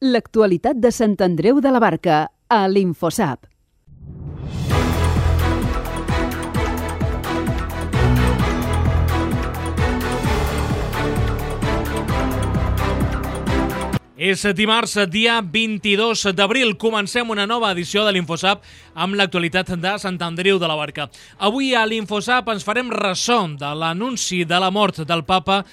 L'actualitat de Sant Andreu de la Barca, a l'Infosap. És dimarts, dia 22 d'abril. Comencem una nova edició de l'Infosap amb l'actualitat de Sant Andreu de la Barca. Avui a l'Infosap ens farem ressò de l'anunci de la mort del papa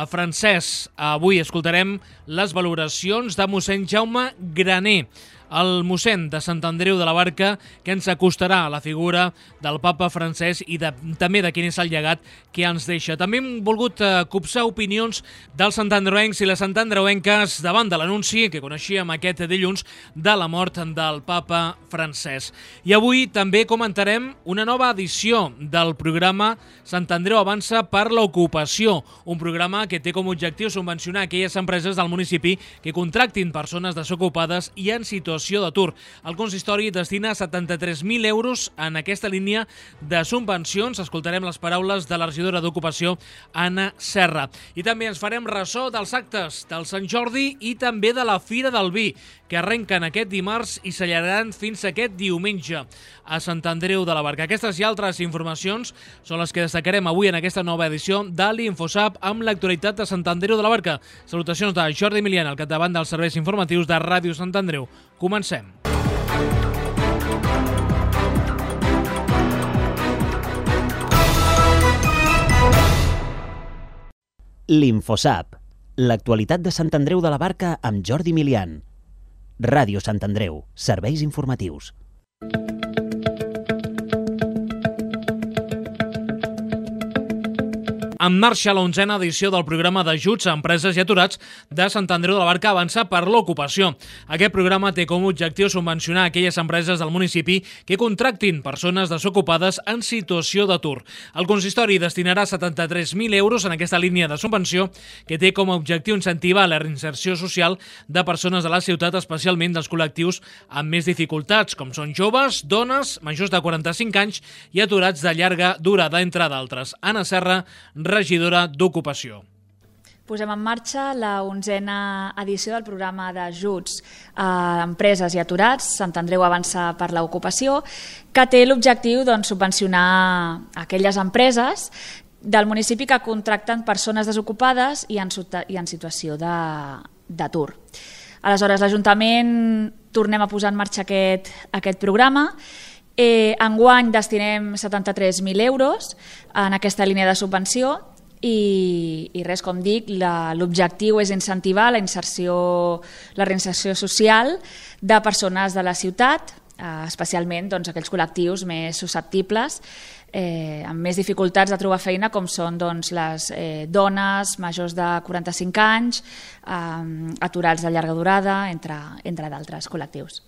francès. Avui escoltarem les valoracions de mossèn Jaume Graner, el mossèn de Sant Andreu de la Barca, que ens acostarà a la figura del papa francès i també de quin és el llegat que ens deixa. També hem volgut copsar opinions dels santandreuencs i les santandreuenques davant de l'anunci que coneixíem aquest dilluns de la mort del papa francès. I avui també comentarem una nova edició del programa Sant Andreu Avança per l'Ocupació, un programa que té com a objectiu subvencionar aquelles empreses del municipi que contractin persones desocupades i en situació d'atur. El consistori destina 73.000 euros en aquesta línia de subvencions. Escoltarem les paraules de la regidora d'Ocupació, Anna Serra. I també ens farem ressò dels actes del Sant Jordi i també de la Fira del Vi, que arrenquen aquest dimarts i s'allargaran fins aquest diumenge a Sant Andreu de la Barca. Aquestes i altres informacions són les que destacarem avui en aquesta nova edició de l'Infosap amb l'actualitat de Sant Andreu de la Barca. Salutacions de Jordi Milian, al capdavant dels serveis informatius de Ràdio Sant Andreu. Comencem. L'Infosap, l'actualitat de Sant Andreu de la Barca amb Jordi Milian. Ràdio Sant Andreu, serveis informatius. En marxa la 11a edició del programa d'ajuts a empreses i aturats de Sant Andreu de la Barca Avança per l'Ocupació. Aquest programa té com a objectiu subvencionar aquelles empreses del municipi que contractin persones desocupades en situació d'atur. El consistori destinarà 73.000 euros en aquesta línia de subvenció que té com a objectiu incentivar la reinserció social de persones de la ciutat, especialment dels col·lectius amb més dificultats, com són joves, dones, majors de 45 anys i aturats de llarga durada, entre d'altres. Anna Serra, regidora d'Ocupació. Posem en marxa la 11a edició del programa d'ajuts a empreses i aturats, Sant Andreu Avança per l'Ocupació, que té l'objectiu subvencionar aquelles empreses del municipi que contracten persones desocupades i en situació d'atur. Aleshores, l'Ajuntament tornem a posar en marxa aquest programa. Enguany destinem 73.000 euros en aquesta línia de subvenció i res, com dic, l'objectiu és incentivar la reinserció social de persones de la ciutat, especialment aquells col·lectius més susceptibles, amb més dificultats de trobar feina, com són les dones majors de 45 anys, aturats de llarga durada, entre d'altres col·lectius.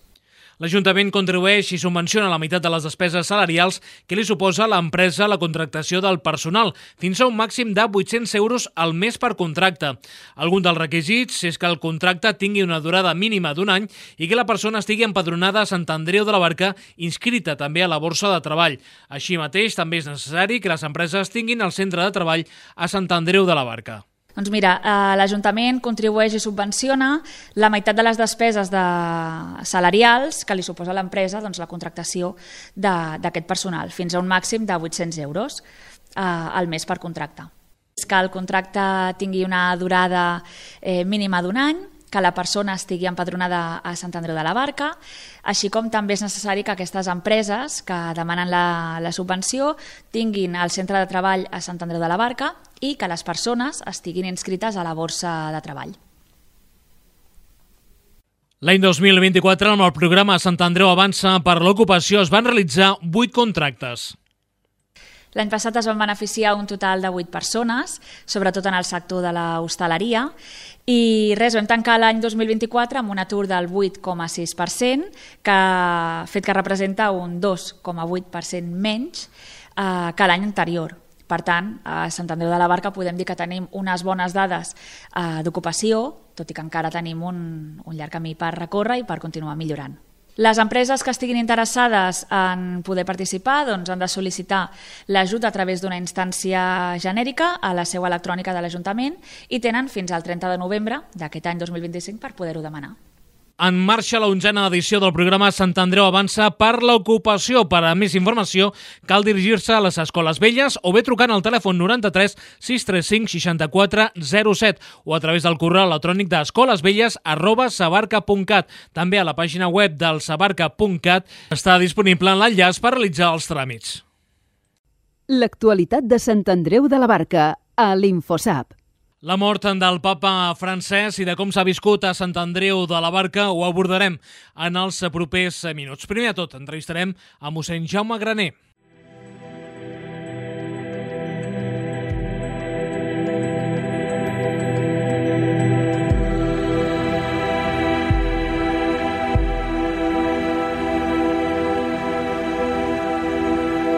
L'Ajuntament contribueix i subvenciona la meitat de les despeses salarials que li suposa a l'empresa la contractació del personal, fins a un màxim de 800 euros al mes per contracte. Algun dels requisits és que el contracte tingui una durada mínima d'un any i que la persona estigui empadronada a Sant Andreu de la Barca, inscrita també a la Borsa de Treball. Així mateix, també és necessari que les empreses tinguin el centre de treball a Sant Andreu de la Barca. Doncs mira, l'Ajuntament contribueix i subvenciona la meitat de les despeses salarials que li suposa a l'empresa la contractació d'aquest personal, fins a un màxim de 800 euros al mes per contracte. Que el contracte tingui una durada mínima d'un any, que la persona estigui empadronada a Sant Andreu de la Barca, així com també és necessari que aquestes empreses que demanen la subvenció tinguin el centre de treball a Sant Andreu de la Barca i que les persones estiguin inscrites a la Borsa de Treball. L'any 2024, amb el programa Sant Andreu Avança per l'Ocupació, es van realitzar 8 contractes. L'any passat es van beneficiar un total de 8 persones, sobretot en el sector de l'hostaleria, i vam tancar l'any 2024 amb un atur del 8,6%, fet que representa un 2,8% menys que l'any anterior. Per tant, a Sant Andreu de la Barca podem dir que tenim unes bones dades d'ocupació, tot i que encara tenim un llarg camí per recórrer i per continuar millorant. Les empreses que estiguin interessades en poder participar han de sol·licitar l'ajut a través d'una instància genèrica a la seu electrònica de l'Ajuntament i tenen fins al 30 de novembre d'aquest any 2025 per poder-ho demanar. En marxa la 11a edició del programa Sant Andreu Avança per l'ocupació. Per a més informació, cal dirigir-se a les Escoles Velles o bé trucant al telèfon 93 635 64 07 o a través del correu electrònic d'escolesvelles@sabarca.cat. També a la pàgina web del sabarca.cat està disponible l'enllaç per realitzar els tràmits. L'actualitat de Sant Andreu de la Barca a l'Infosap. La mort del papa Francesc i de com s'ha viscut a Sant Andreu de la Barca ho abordarem en els propers minuts. Primer de tot, entrevistarem a mossèn Jaume Graner.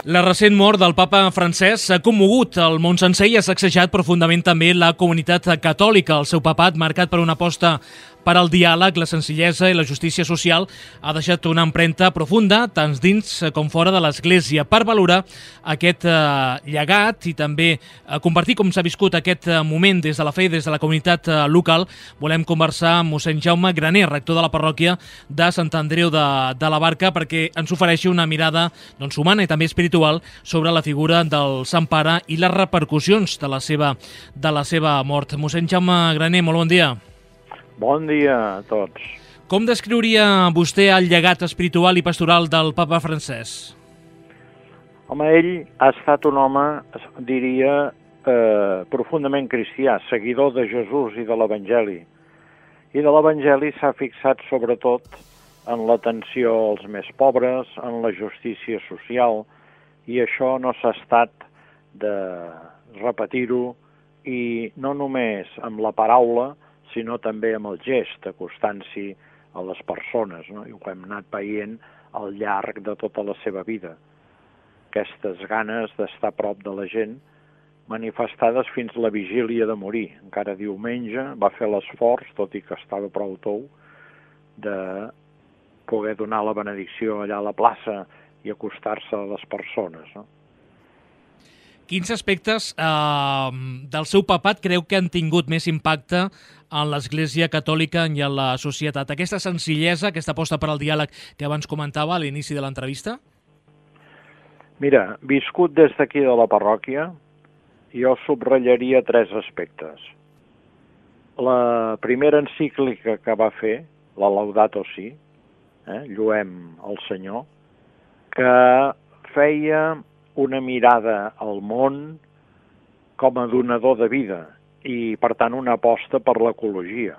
La recent mort del papa Francesc s'ha commogut el món sencer i ha sacsejat profundament també la comunitat catòlica. El seu papat, marcat per una aposta per al diàleg, la senzillesa i la justícia social, ha deixat una empremta profunda, tant dins com fora de l'Església. Per valorar aquest llegat i també compartir com s'ha viscut aquest moment des de la fe i des de la comunitat local, volem conversar amb mossèn Jaume Graner, rector de la parròquia de Sant Andreu de la Barca, perquè ens ofereixi una mirada humana i també espiritual sobre la figura del Sant Pare i les repercussions de la seva mort. Mossèn Jaume Graner, molt bon dia. Bon dia a tots. Com descriuria vostè el llegat espiritual i pastoral del papa Francesc? Home, ell ha estat un home, diria, profundament cristià, seguidor de Jesús i de l'Evangeli. I de l'Evangeli s'ha fixat sobretot en l'atenció als més pobres, en la justícia social, i això no s'ha estat de repetir-ho, i no només amb la paraula, sinó també amb el gest, acostant-s'hi a les persones, no? I ho hem anat veient al llarg de tota la seva vida. Aquestes ganes d'estar a prop de la gent, manifestades fins la vigília de morir. Encara diumenge va fer l'esforç, tot i que estava prou tou, de poder donar la benedicció allà a la plaça i acostar-se a les persones, no? Quins aspectes del seu papat creu que han tingut més impacte en l'Església Catòlica i en la societat? Aquesta senzillesa, aquesta aposta per al diàleg que abans comentava a l'inici de l'entrevista? Mira, viscut des d'aquí de la parròquia, jo subratllaria 3 aspectes. La primera encíclica que va fer, la Laudato Si, Lloem el Senyor, que feia una mirada al món com a donador de vida i, per tant, una aposta per l'ecologia.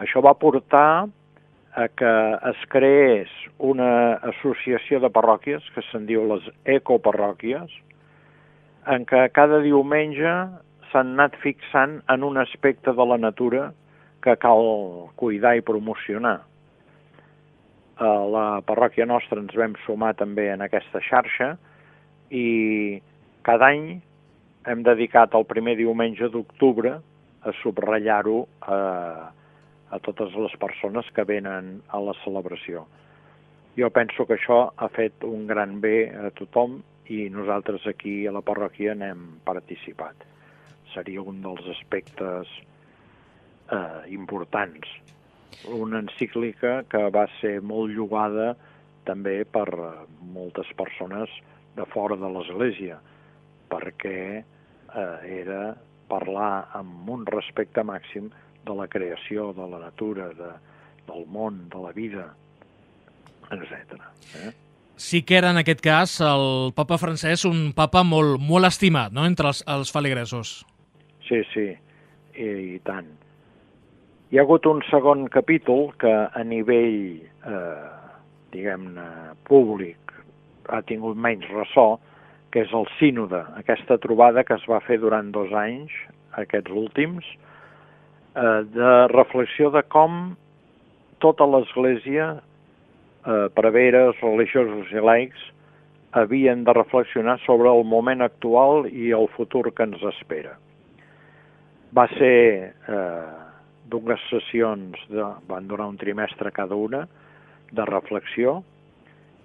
Això va portar a que es creés una associació de parròquies, que se'n diu les ecoparròquies, en què cada diumenge s'han anat fixant en un aspecte de la natura que cal cuidar i promocionar. A la parròquia nostra ens vam sumar també en aquesta xarxa i cada any hem dedicat el primer diumenge d'octubre a subratllar-ho a totes les persones que venen a la celebració. Jo penso que això ha fet un gran bé a tothom i nosaltres aquí a la parròquia n'hem participat. Seria un dels aspectes importants. Una encíclica que va ser molt llogada també per moltes persones de fora de l'Església, perquè era parlar amb un respecte màxim de la creació, de la natura, del món, de la vida, etc. Sí que era, en aquest cas, el papa Francesc un papa molt estimat, no?, entre els feligresos. Sí, i tant. Hi ha hagut un segon capítol que a nivell, diguem-ne, públic ha tingut menys ressò, que és el sínode, aquesta trobada que es va fer durant 2 anys, aquests últims, de reflexió de com tota l'Església, preveres, religiosos i laics, havien de reflexionar sobre el moment actual i el futur que ens espera. Va ser dues sessions, van durar un trimestre cada una, de reflexió,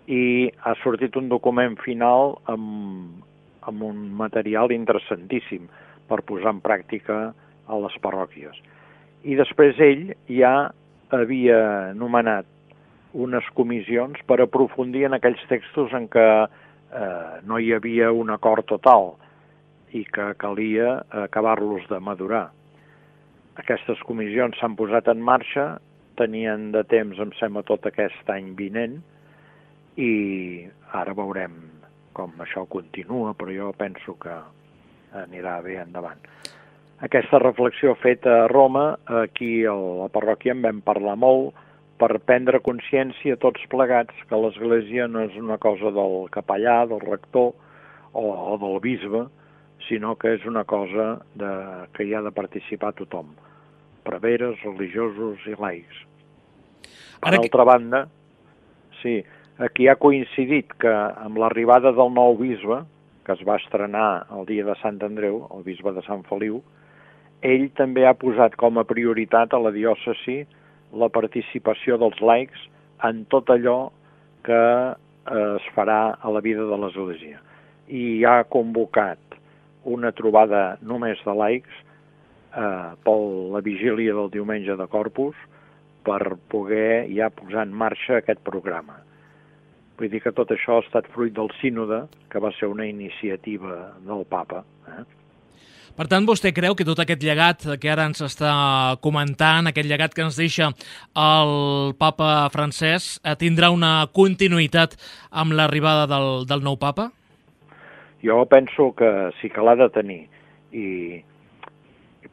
i ha sortit un document final amb un material interessantíssim per posar en pràctica a les parròquies. I després ell ja havia nomenat unes comissions per aprofundir en aquells textos en què no hi havia un acord total i que calia acabar-los de madurar. Aquestes comissions s'han posat en marxa, tenien de temps, em sembla, tot aquest any vinent, i ara veurem com això continua, però jo penso que anirà bé endavant. Aquesta reflexió feta a Roma, aquí a la parròquia en vam parlar molt, per prendre consciència tots plegats que l'Església no és una cosa del capellà, del rector o del bisbe, sinó que és una cosa que hi ha de participar tothom, preveres, religiosos i laics. Per altra banda, sí, aquí ha coincidit que amb l'arribada del nou bisbe, que es va estrenar el dia de Sant Andreu, el bisbe de Sant Feliu, ell també ha posat com a prioritat a la diòcesi la participació dels laics en tot allò que es farà a la vida de l'Església. I ha convocat una trobada només de laics per la vigília del diumenge de Corpus per poder ja posar en marxa aquest programa. Vull dir que tot això ha estat fruit del sínode, que va ser una iniciativa del papa. Per tant, vostè creu que tot aquest llegat que ara ens està comentant, aquest llegat que ens deixa el papa Francesc, tindrà una continuïtat amb l'arribada del nou papa? Jo penso que sí que l'ha de tenir, i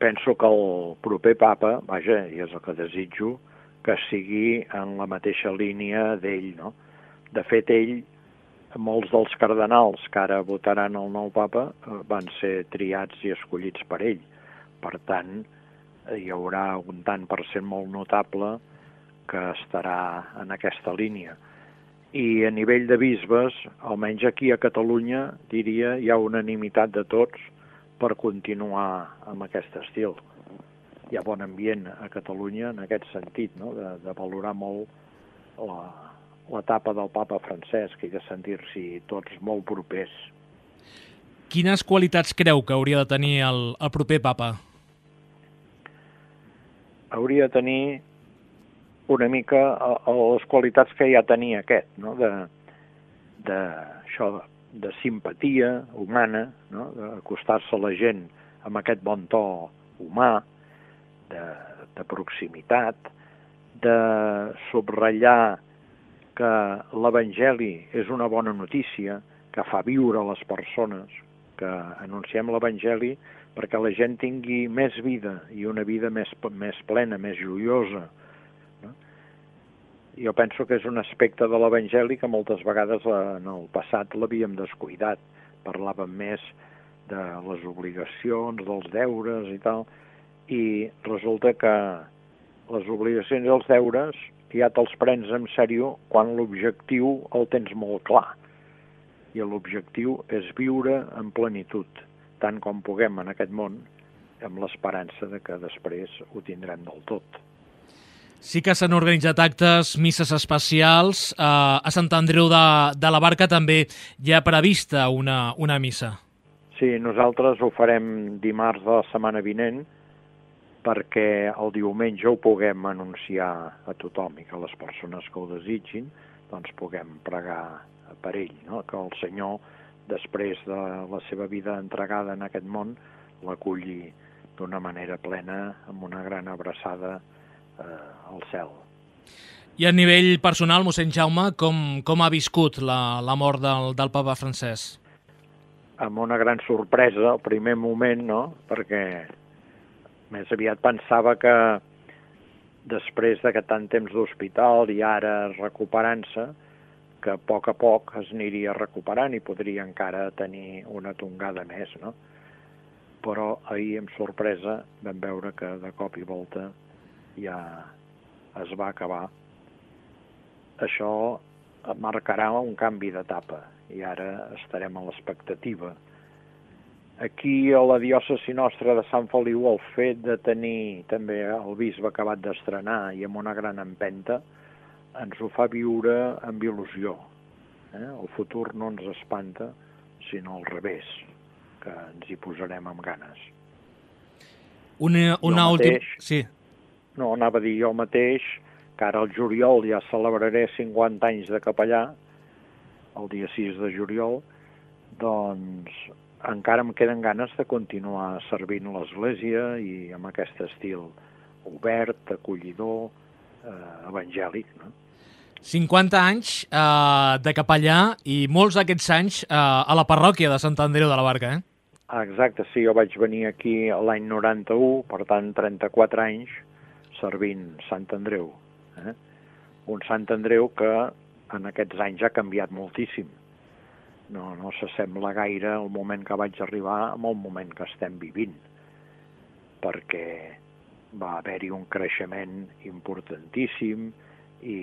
penso que el proper papa, vaja, i és el que desitjo, que sigui en la mateixa línia d'ell, no? De fet, ell, molts dels cardenals que ara votaran el nou papa van ser triats i escollits per ell. Per tant, hi haurà un tant per cent molt notable que estarà en aquesta línia. I a nivell de bisbes, almenys aquí a Catalunya, diria, hi ha unanimitat de tots per continuar amb aquest estil. Hi ha bon ambient a Catalunya en aquest sentit, no? de valorar molt l'etapa del papa Francesc i de sentir-s'hi tots molt propers. Quines qualitats creu que hauria de tenir el proper papa? Hauria de tenir una mica les qualitats que ja tenia aquest, no? de simpatia humana, no? D'acostar-se a la gent amb aquest bon to humà, de proximitat, de subratllar que l'Evangeli és una bona notícia, que fa viure les persones, que anunciem l'Evangeli perquè la gent tingui més vida i una vida més plena, més joiosa. No? Jo penso que és un aspecte de l'Evangeli que moltes vegades en el passat l'havíem descuidat. Parlàvem més de les obligacions, dels deures i tal, i resulta que les obligacions i els deures ja te'ls prens en sèrio quan l'objectiu el tens molt clar. I l'objectiu és viure en plenitud, tant com puguem en aquest món, amb l'esperança de que després ho tindrem del tot. Sí que s'han organitzat actes, misses especials. A Sant Andreu de la Barca també hi ha prevista una missa. Sí, nosaltres ho farem dimarts de la setmana vinent, perquè el diumenge ho puguem anunciar a tothom i que les persones que ho desitgin doncs puguem pregar per ell, no? Que el Senyor, després de la seva vida entregada en aquest món, l'aculli d'una manera plena, amb una gran abraçada al cel. I a nivell personal, mossèn Jaume, com ha viscut la mort del papa Francesc? Amb una gran sorpresa, al primer moment, no? Perquè més aviat pensava que després d'aquest tant temps d'hospital i ara recuperant-se, que a poc es aniria recuperant i podria encara tenir una tongada més, no? Però ahir, amb sorpresa, vam veure que de cop i volta ja es va acabar. Això marcarà un canvi d'etapa i ara estarem a l'expectativa. Aquí, a la diòcesi nostra de Sant Feliu, el fet de tenir també el bisbe acabat d'estrenar i amb una gran empenta, ens ho fa viure amb il·lusió. El futur no ens espanta, sinó al revés, que ens hi posarem amb ganes. Una última... Sí. No, anava a dir jo mateix, que ara al juliol ja celebraré 50 anys de capellà, el dia 6 de juliol, doncs encara em queden ganes de continuar servint l'Església i amb aquest estil obert, acollidor, evangèlic, no? 50 anys de capellà i molts d'aquests anys a la parròquia de Sant Andreu de la Barca, eh? Exacte, sí, jo vaig venir aquí l'any 91, per tant 34 anys servint Sant Andreu. Un Sant Andreu que en aquests anys ha canviat moltíssim. No s'assembla gaire el moment que vaig arribar amb el moment que estem vivint, perquè va haver-hi un creixement importantíssim i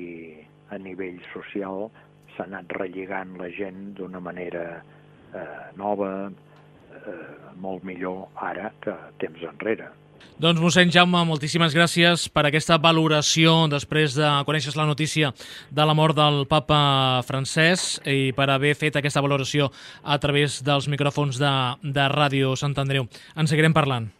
a nivell social s'ha anat relligant la gent d'una manera nova, molt millor ara que temps enrere. Doncs, mossèn Jaume, moltíssimes gràcies per aquesta valoració després de conèixer la notícia de la mort del papa Francesc i per haver fet aquesta valoració a través dels micròfons de Ràdio Sant Andreu. En seguirem parlant.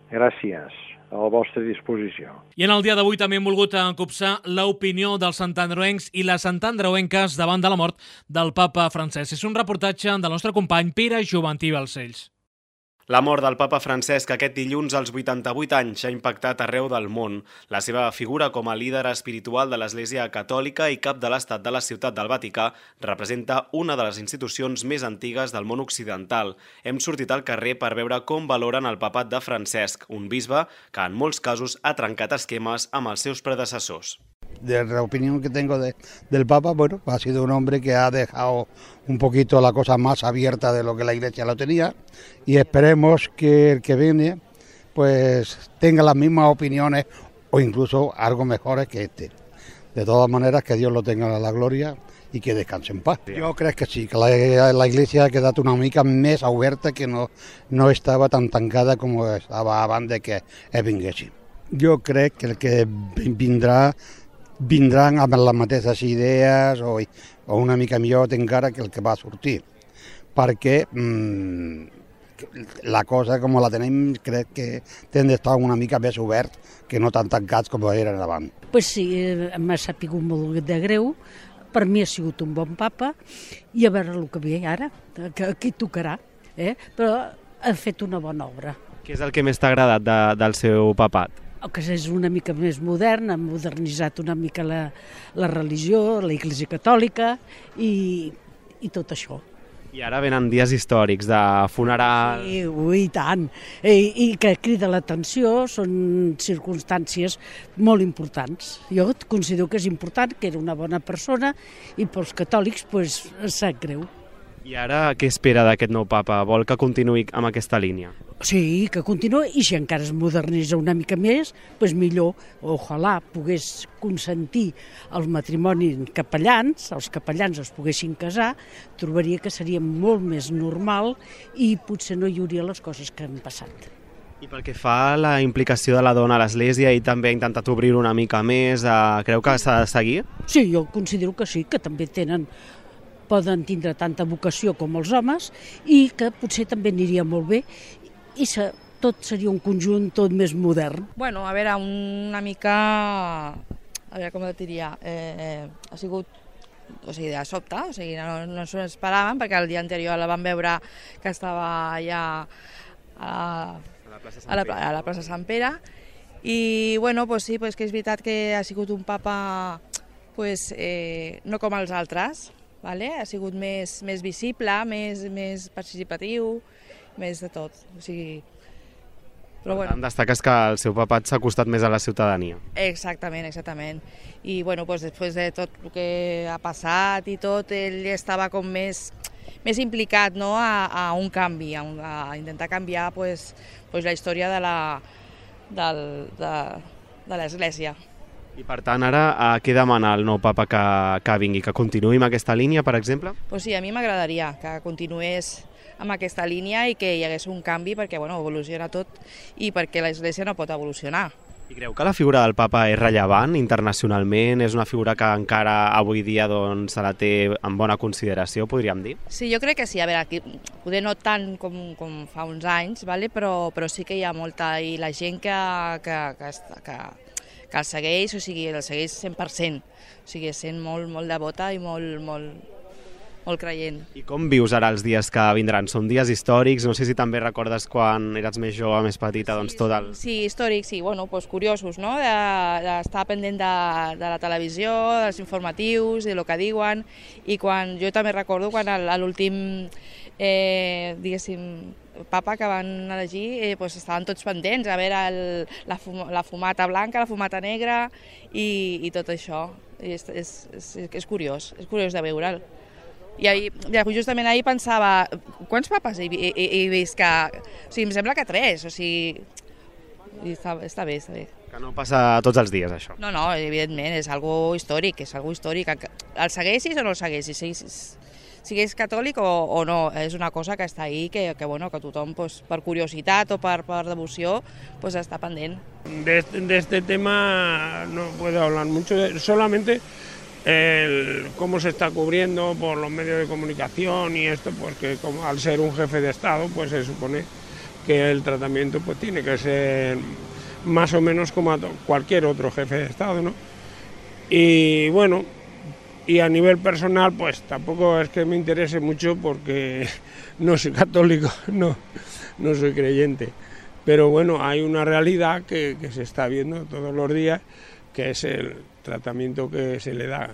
Gràcies, a la vostra disposició. I en el dia d'avui també hem volgut copsar l'opinió dels santandreuencs i les santandreuenques davant de la mort del papa Francesc. És un reportatge del nostre company Pere Joventí Balcells. La mort del papa Francesc aquest dilluns als 88 anys ha impactat arreu del món. La seva figura com a líder espiritual de l'Església Catòlica i cap de l'Estat de la Ciutat del Vaticà representa una de les institucions més antigues del món occidental. Hem sortit al carrer per veure com valoren el papat de Francesc, un bisbe que en molts casos ha trencat esquemes amb els seus predecessors. De la opinión que tengo del Papa, bueno, ha sido un hombre que ha dejado un poquito la cosa más abierta de lo que la Iglesia lo tenía y esperemos que el que viene pues tenga las mismas opiniones o incluso algo mejores que este. De todas maneras, que Dios lo tenga a la gloria i que descansi en paz. Jo crec que sí, que la Iglesia ha quedat una mica més oberta, que no estava tan tancada com estava abans de que vinguessin. Jo crec que el que vindran amb les mateixes idees o una mica millor encara que el que va sortir, perquè la cosa com la tenim crec que hem d'estar una mica més obert que no tan tancats com eren abans. Pues sí, m'ha sapigut molt de greu, per mi ha sigut un bon papa i a veure el que ve ara, que aquí tocarà, però ha fet una bona obra. Què és el que més t'ha agradat del seu papat? Que és una mica més modern, ha modernitzat una mica la religió, la Iglesia Catòlica i tot això. I ara venen dies històrics de funeral... Sí, ui, tant. I que crida l'atenció, són circumstàncies molt importants. Jo considero que és important, que era una bona persona i pels catòlics pues, sap greu. I ara què espera d'aquest nou papa? Vol que continuï amb aquesta línia? Sí, que continuï, i si encara es modernitza una mica més, doncs millor, ojalà pogués consentir el matrimoni capellans, els capellans es poguessin casar, trobaria que seria molt més normal i potser no hi hauria les coses que han passat. I pel que fa a la implicació de la dona a l'Església i també ha intentat obrir una mica més, creu que s'ha de seguir? Sí, jo considero que sí, que també poden tindre tanta vocació com els homes i que potser també aniria molt bé i tot seria un conjunt tot més modern. Bueno, a veure, una mica, a veure com et diria, ha sigut, o sigui, de sobte, o sigui, no s'ho esperaven perquè el dia anterior la vam veure que estava allà a la plaça Sant Pere i, bueno, pues sí, pues que és veritat que ha sigut un papa pues, no com els altres, vale? Ha sigut més visible, més participatiu, més de tot. O sigui, però bueno. Destaques que el seu papat s'ha acostat més a la ciutadania. Exactament. I bueno, pues, després de tot el que ha passat i tot, ell estava com més implicat, no? a un canvi, a intentar canviar pues, la història de l'Església. I per tant, ara, què demana el nou papa que vingui? Que continuï amb aquesta línia, per exemple? Pues sí, a mi m'agradaria que continués amb aquesta línia i que hi hagués un canvi perquè bueno, evoluciona tot i perquè l'Església no pot evolucionar. I creu que la figura del papa és rellevant internacionalment? És una figura que encara avui dia doncs, se la té en bona consideració, podríem dir? Sí, jo crec que sí. A veure, aquí, poder no tant com fa uns anys, vale? però sí que hi ha molta... I la gent que el segueix, o sigui, el segueix 100%, o sigui, sent molt devota i molt creient. I com vius ara els dies que vindran? Són dies històrics, no sé si també recordes quan eres més jove, més petita, doncs tot el... Sí, històrics, sí, bueno, doncs curiosos, no?, d'estar pendent de la televisió, dels informatius, de lo que diuen, i quan jo també recordo quan a l'últim, diguéssim, papa que van elegir, doncs estaven tots pendents a veure la fumata blanca, la fumata negra i tot això. És curiós de veure'l. I justament ahir pensava, quants papes he vist que... O sigui, em sembla que 3, o sigui... Està bé. Que no passa tots els dies, això. No, evidentment, és algo històric, El segueixis o no el segueixis, siguis catòlic o no, és una cosa que està ahí, que tothom, per curiositat o per devoció, està pendent. De este tema no puedo hablar mucho, solamente... cómo se está cubriendo por los medios de comunicación y esto, pues que como al ser un jefe de Estado, pues se supone que el tratamiento pues tiene que ser más o menos como a cualquier otro jefe de Estado, ¿no? Y bueno, y a nivel personal pues tampoco es que me interese mucho porque no soy católico, no soy creyente, pero bueno, hay una realidad que se está viendo todos los días, que es el tratamiento que se le da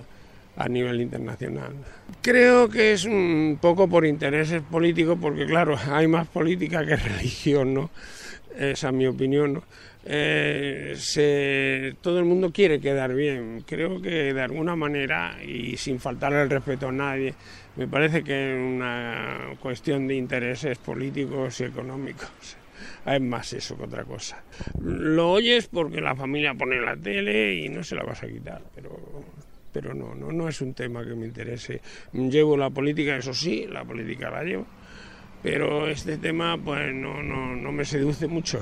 a nivel internacional. Creo que es un poco por intereses políticos, porque claro, hay más política que religión, ¿no? Esa es mi opinión, ¿no? Todo el mundo quiere quedar bien, creo que de alguna manera y sin faltarle el respeto a nadie, me parece que es una cuestión de intereses políticos y económicos. Es más eso que otra cosa. Lo oyes porque la familia pone la tele y no se la vas a quitar, pero no es un tema que me interese. Llevo la política, eso sí, la política la llevo, pero este tema pues no me seduce mucho.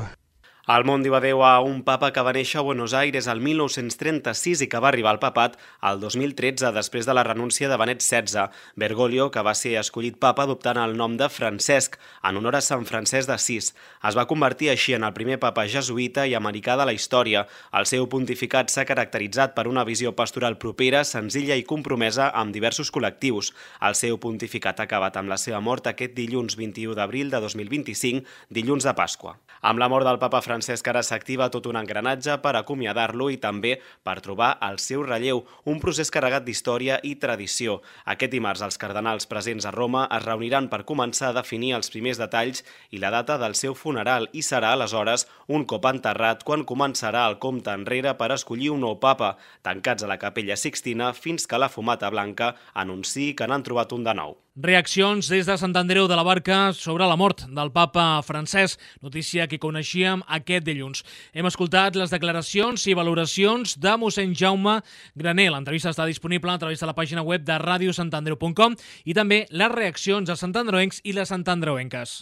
El món diu adeu a un papa que va néixer a Buenos Aires el 1936 i que va arribar al papat el 2013 després de la renúncia de Benet XVI, Bergoglio, que va ser escollit papa adoptant el nom de Francesc, en honor a Sant Francesc d'Assís. Es va convertir així en el primer papa jesuïta i americà de la història. El seu pontificat s'ha caracteritzat per una visió pastoral propera, senzilla i compromesa amb diversos col·lectius. El seu pontificat ha acabat amb la seva mort aquest dilluns 21 d'abril de 2025, dilluns de Pasqua. Amb la mort del papa Francesc ara s'activa tot un engranatge per acomiadar-lo i també per trobar el seu relleu, un procés carregat d'història i tradició. Aquest dimarts els cardenals presents a Roma es reuniran per començar a definir els primers detalls i la data del seu funeral i serà aleshores, un cop enterrat, quan començarà el compte enrere per escollir un nou papa, tancats a la Capella Sixtina fins que la fumata blanca anunciï que n'han trobat un de nou. Reaccions des de Sant Andreu de la Barca sobre la mort del papa Francesc, notícia que coneixíem aquest dilluns. Hem escoltat les declaracions i valoracions de mossèn Jaume Graner. L'entrevista està disponible a través de la pàgina web de radiosantandreu.com i també les reaccions de santandreuencs i les santandreuenques.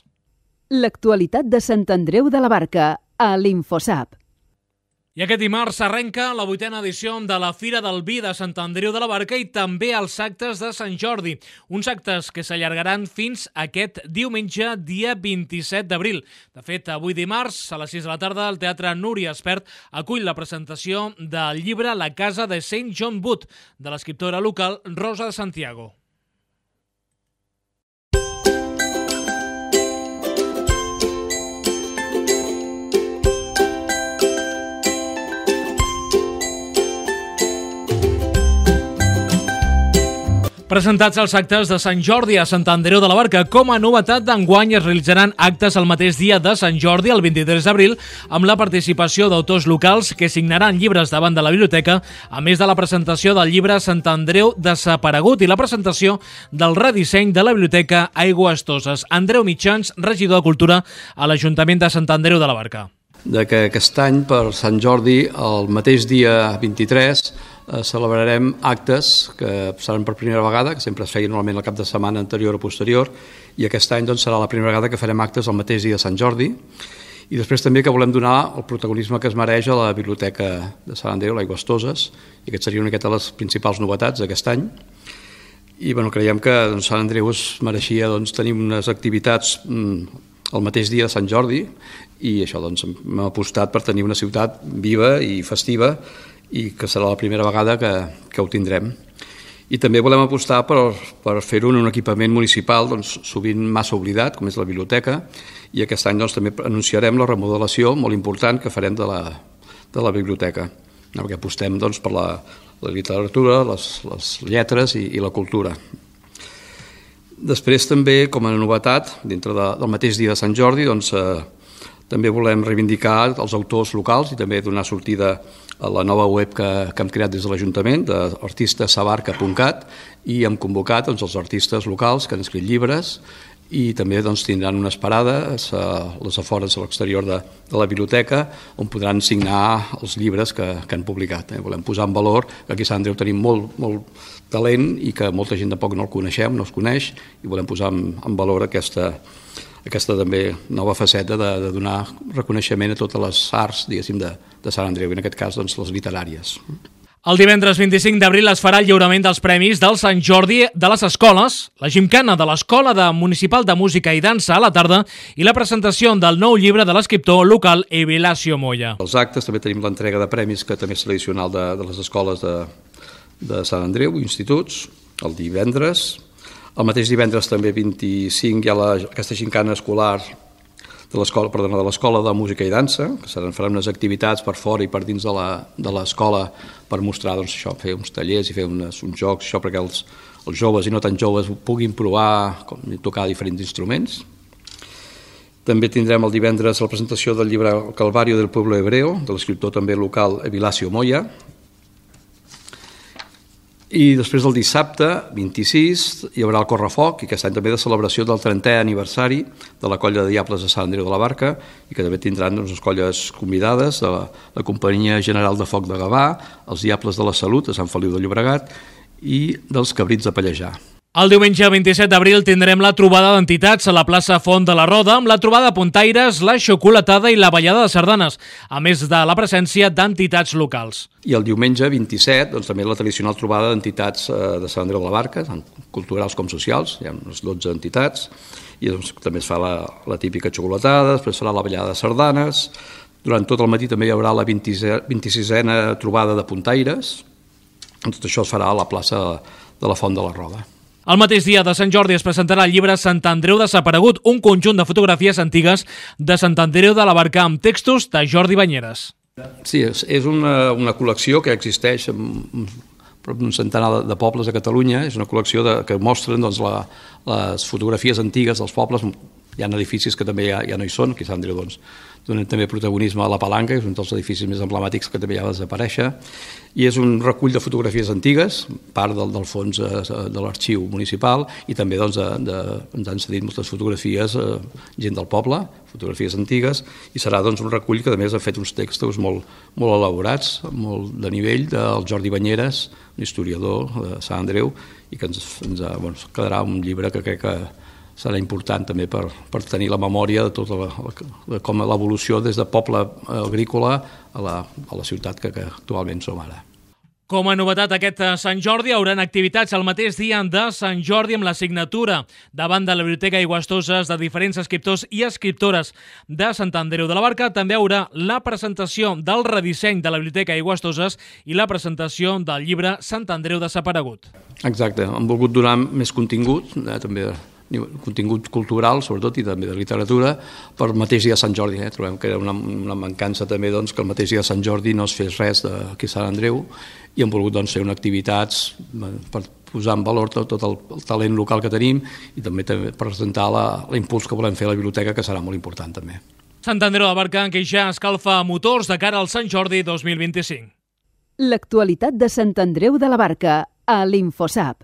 L'actualitat de Sant Andreu de la Barca a l'Infosap. I aquest dimarts s'arrenca la 8a edició de la Fira del Vi de Sant Andreu de la Barca i també els actes de Sant Jordi, uns actes que s'allargaran fins aquest diumenge, dia 27 d'abril. De fet, avui dimarts, a les 6 de la tarda, el Teatre Núria Espert acull la presentació del llibre La casa de Saint John Wood, de l'escriptora local Rosa de Santiago. Presentats els actes de Sant Jordi a Sant Andreu de la Barca. Com a novetat d'enguany es realitzaran actes el mateix dia de Sant Jordi, el 23 d'abril, amb la participació d'autors locals que signaran llibres davant de la biblioteca, a més de la presentació del llibre Sant Andreu desaparegut i la presentació del redisseny de la biblioteca Aigües Toses. Andreu Mitjans, regidor de Cultura a l'Ajuntament de Sant Andreu de la Barca. Que aquest any, per Sant Jordi, el mateix dia 23, celebrarem actes que seran per primera vegada, que sempre es feien normalment el cap de setmana anterior o posterior, i aquest any serà la primera vegada que farem actes el mateix dia de Sant Jordi, i després també que volem donar el protagonisme que es mereix a la Biblioteca de Sant Andreu, l'Aigües Toses, i aquest seria una miqueta de les principals novetats d'aquest any. I creiem que Sant Andreu es mereixia tenir unes activitats el mateix dia de Sant Jordi, i això doncs hem apostat per tenir una ciutat viva i festiva, i que serà la primera vegada que ho tindrem. I també volem apostar per fer-ho en un equipament municipal doncs, sovint massa oblidat, com és la biblioteca, i aquest any doncs, també anunciarem la remodelació molt important que farem de la biblioteca, perquè apostem doncs, per la literatura, les lletres i la cultura. Després també, com a novetat, dintre del mateix dia de Sant Jordi, doncs, també volem reivindicar els autors locals i també donar sortida a la nova web que hem creat des de l'Ajuntament, d'artistasabarca.cat, i hem convocat doncs, els artistes locals que han escrit llibres i també doncs, tindran unes parades a les afores a l'exterior de la biblioteca on podran signar els llibres que han publicat. Volem posar en valor que aquí a Sant Andreu tenim molt talent i que molta gent tampoc no el coneixem, no els coneix, i volem posar en valor aquesta també nova faceta de donar reconeixement a totes les arts, diguéssim, de Sant Andreu, i en aquest cas doncs, les literàries. El divendres 25 d'abril es farà el lliurament dels premis del Sant Jordi de les escoles, la gimcana de l'Escola Municipal de Música i Dansa a la tarda i la presentació del nou llibre de l'escriptor local Evilàcio Moya. Els actes també tenim l'entrega de premis, que també és tradicional de les escoles de Sant Andreu, instituts, el divendres. El mateix divendres també 25 hi ha aquesta gimcana escolar de l'Escola de Música i Dansa, que faran unes activitats per fora i per dins de l'escola per mostrar doncs, això, fer uns tallers i fer uns jocs, això perquè els joves i no tan joves puguin provar tocar diferents instruments. També tindrem el divendres la presentació del llibre El Calvario del Pueblo Hebreo, de l'escriptor també local Evilàcio Moya. I després del dissabte, 26, hi haurà el Correfoc, i aquest any també de celebració del 30è aniversari de la Colla de Diables de Sant Andreu de la Barca, i que també tindran unes colles convidades de la Companyia General de Foc de Gavà, els Diables de la Salut de Sant Feliu de Llobregat i dels Cabrits de Pallejà. El diumenge 27 d'abril tindrem la trobada d'entitats a la plaça Font de la Roda, amb la trobada de puntaires, la xocolatada i la ballada de sardanes, a més de la presència d'entitats locals. I el diumenge 27, doncs, també la tradicional trobada d'entitats de Sant Andreu de la Barca, tant culturals com socials, hi ha unes 12 entitats, i doncs, també es fa la típica xocolatada, després farà la ballada de sardanes, durant tot el matí també hi haurà la 26a trobada de puntaires, tot això es farà a la plaça de la Font de la Roda. El mateix dia de Sant Jordi es presentarà el llibre Sant Andreu desaparegut, un conjunt de fotografies antigues de Sant Andreu de la Barca amb textos de Jordi Banyeres. Sí, és una col·lecció que existeix en prop d'un centenar de pobles a Catalunya. És una col·lecció que mostren doncs, les fotografies antigues dels pobles. Hi ha edificis que també ja no hi són, aquí a Sant Andreu doncs, donen també protagonisme a la Palanca, que és un dels edificis més emblemàtics que també ja va desaparèixer, i és un recull de fotografies antigues, part del fons de l'arxiu municipal, i també doncs, ens han cedit moltes fotografies gent del poble, fotografies antigues, i serà doncs, un recull que a més ha fet uns textos molt elaborats, molt de nivell, del Jordi Banyeres, un historiador de Sant Andreu, i que ens quedarà un llibre que crec que serà important també per tenir la memòria de tota com l'evolució des de poble agrícola a la ciutat que actualment som ara. Com a novetat aquest Sant Jordi, hi haurà activitats el mateix dia de Sant Jordi amb la signatura davant de la Biblioteca Aigüestoses de diferents escriptors i escriptores de Sant Andreu de la Barca. També hi haurà la presentació del redisseny de la Biblioteca Aigüestoses i la presentació del llibre Sant Andreu desaparegut. Exacte, hem volgut donar més contingut, també contingut cultural, sobretot, i també de literatura, per el mateix dia de Sant Jordi. Trobem que era una mancança també que el mateix dia de Sant Jordi no es fes res aquí a Sant Andreu, i hem volgut fer unes activitats per posar en valor tot el talent local que tenim i també presentar l'impuls que volem fer a la biblioteca, que serà molt important també. Sant Andreu de la Barca, que ja escalfa motors de cara al Sant Jordi 2025. L'actualitat de Sant Andreu de la Barca a l'Infosap.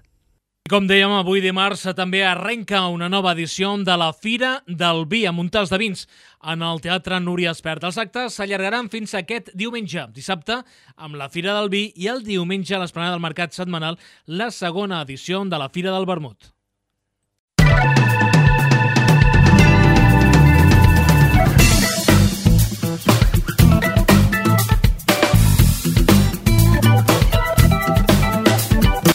Com dèiem, avui dimarts també arrenca una nova edició de la Fira del Vi a Montals de Vins en el Teatre Núria Espert. Els actes s'allargaran fins aquest diumenge, dissabte amb la Fira del Vi i el diumenge a l'Esplanada del Mercat Setmanal la segona edició de la Fira del Vermut.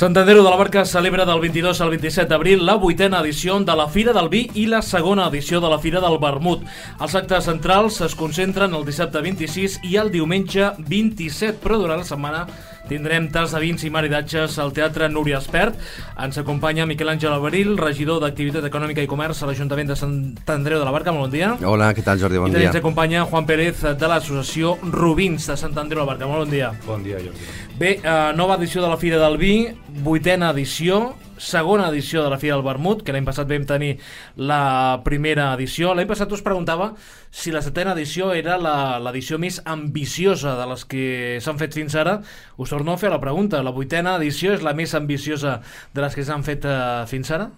Sant Andreu de la Barca celebra del 22 al 27 d'abril la 8a edició de la Fira del Vi i la segona edició de la Fira del Vermut. Els actes centrals es concentren el dissabte 26 i el diumenge 27, però durant la setmana tindrem tas de vins i maridatges al Teatre Núria Espert. Ens acompanya Miquel Àngel Alberil, regidor d'Activitat Econòmica i Comerç a l'Ajuntament de Sant Andreu de la Barca. Molt bon dia. Hola, què tal, Jordi? Bon dia. I ens acompanya Juan Pérez de l'associació Rubins de Sant Andreu de la Barca. Molt bon dia. Bon dia, Jordi. Bé, nova edició de la Fira del Vi, 8a edició, segona edició de la Fira del Vermut, que l'any passat vam tenir la primera edició. L'any passat us preguntava si la 7a edició era l'edició més ambiciosa de les que s'han fet fins ara. Us torno a fer la pregunta. La 8a edició és la més ambiciosa de les que s'han fet fins ara?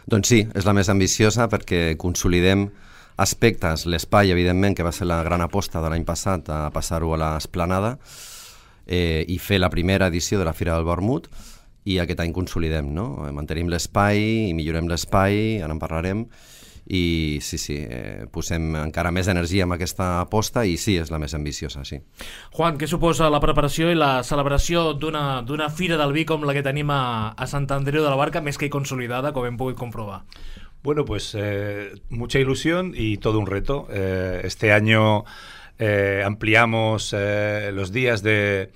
Doncs sí, és la més ambiciosa perquè consolidem aspectes, l'espai, evidentment, que va ser la gran aposta de l'any passat, a passar-ho a l'Esplanada, i fer la primera edició de la Fira del Vermut, i aquest any consolidem, no? Mantenim l'espai i millorem l'espai, ara en parlarem, i sí, posem encara més energia en aquesta aposta i sí, és la més ambiciosa, sí. Juan, què suposa la preparació i la celebració d'una Fira del Vi com la que tenim a Sant Andreu de la Barca, més que consolidada, com hem pogut comprovar? Bueno, pues mucha ilusión y todo un reto. Este año ampliamos los días de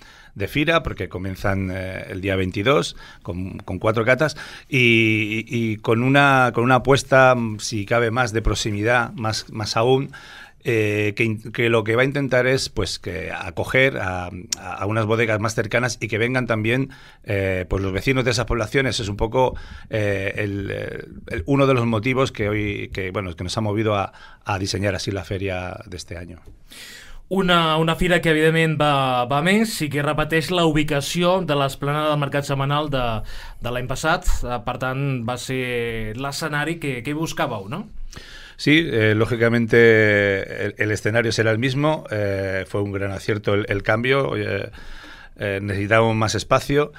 Fira, porque comienzan el día 22 con 4 catas y con una apuesta, si cabe, más de proximidad, más aún, que lo que va a intentar es pues que acoger a unas bodegas más cercanas y que vengan también pues los vecinos de esas poblaciones. Es un poco uno de los motivos que nos ha movido a diseñar así la feria de este año. Una fira que evidentment va més i que repeteix la ubicació de l'esplanada del mercat setmanal de l'any passat. Per tant, va ser l'escenari que buscàveu, no? Sí, lógicamente el escenario será el mismo. Fue un gran acierto el cambio. Necesitábamos más espacio.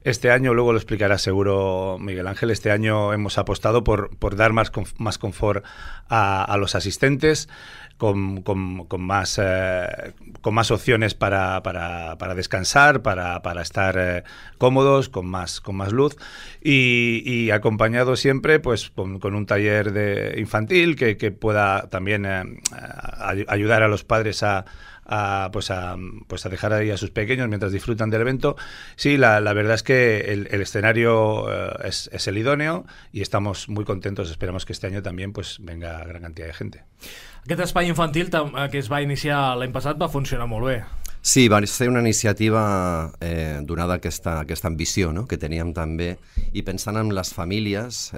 Este año, luego lo explicará seguro Miguel Ángel, este año hemos apostado por dar más confort a los asistentes, con más opciones para descansar, para estar cómodos, con más luz y acompañado siempre pues con un taller infantil que pueda también ayudar a los padres a dejar ahí a sus pequeños mientras disfrutan del evento. Sí, la verdad es que el escenario es el idóneo y estamos muy contentos. Esperamos que este año también pues venga gran cantidad de gente. Aquest espai infantil que es va iniciar l'any passat va funcionar molt bé. Sí, va ser una iniciativa donada aquesta ambició, no?, que teníem també, i pensant en les famílies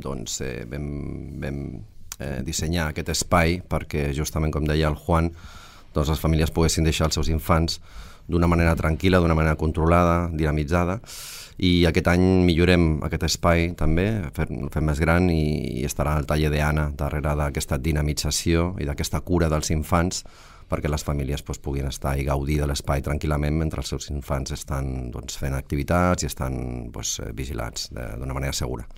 vam dissenyar aquest espai perquè justament, com deia el Juan, doncs les famílies poguessin deixar els seus infants d'una manera tranquil·la, d'una manera controlada, dinamitzada, i aquest any millorem aquest espai també, fem més gran i estarà el taller d'Anna darrere d'aquesta dinamització i d'aquesta cura dels infants perquè les famílies puguin estar i gaudir de l'espai tranquil·lament mentre els seus infants estan fent activitats i estan vigilats d'una manera segura.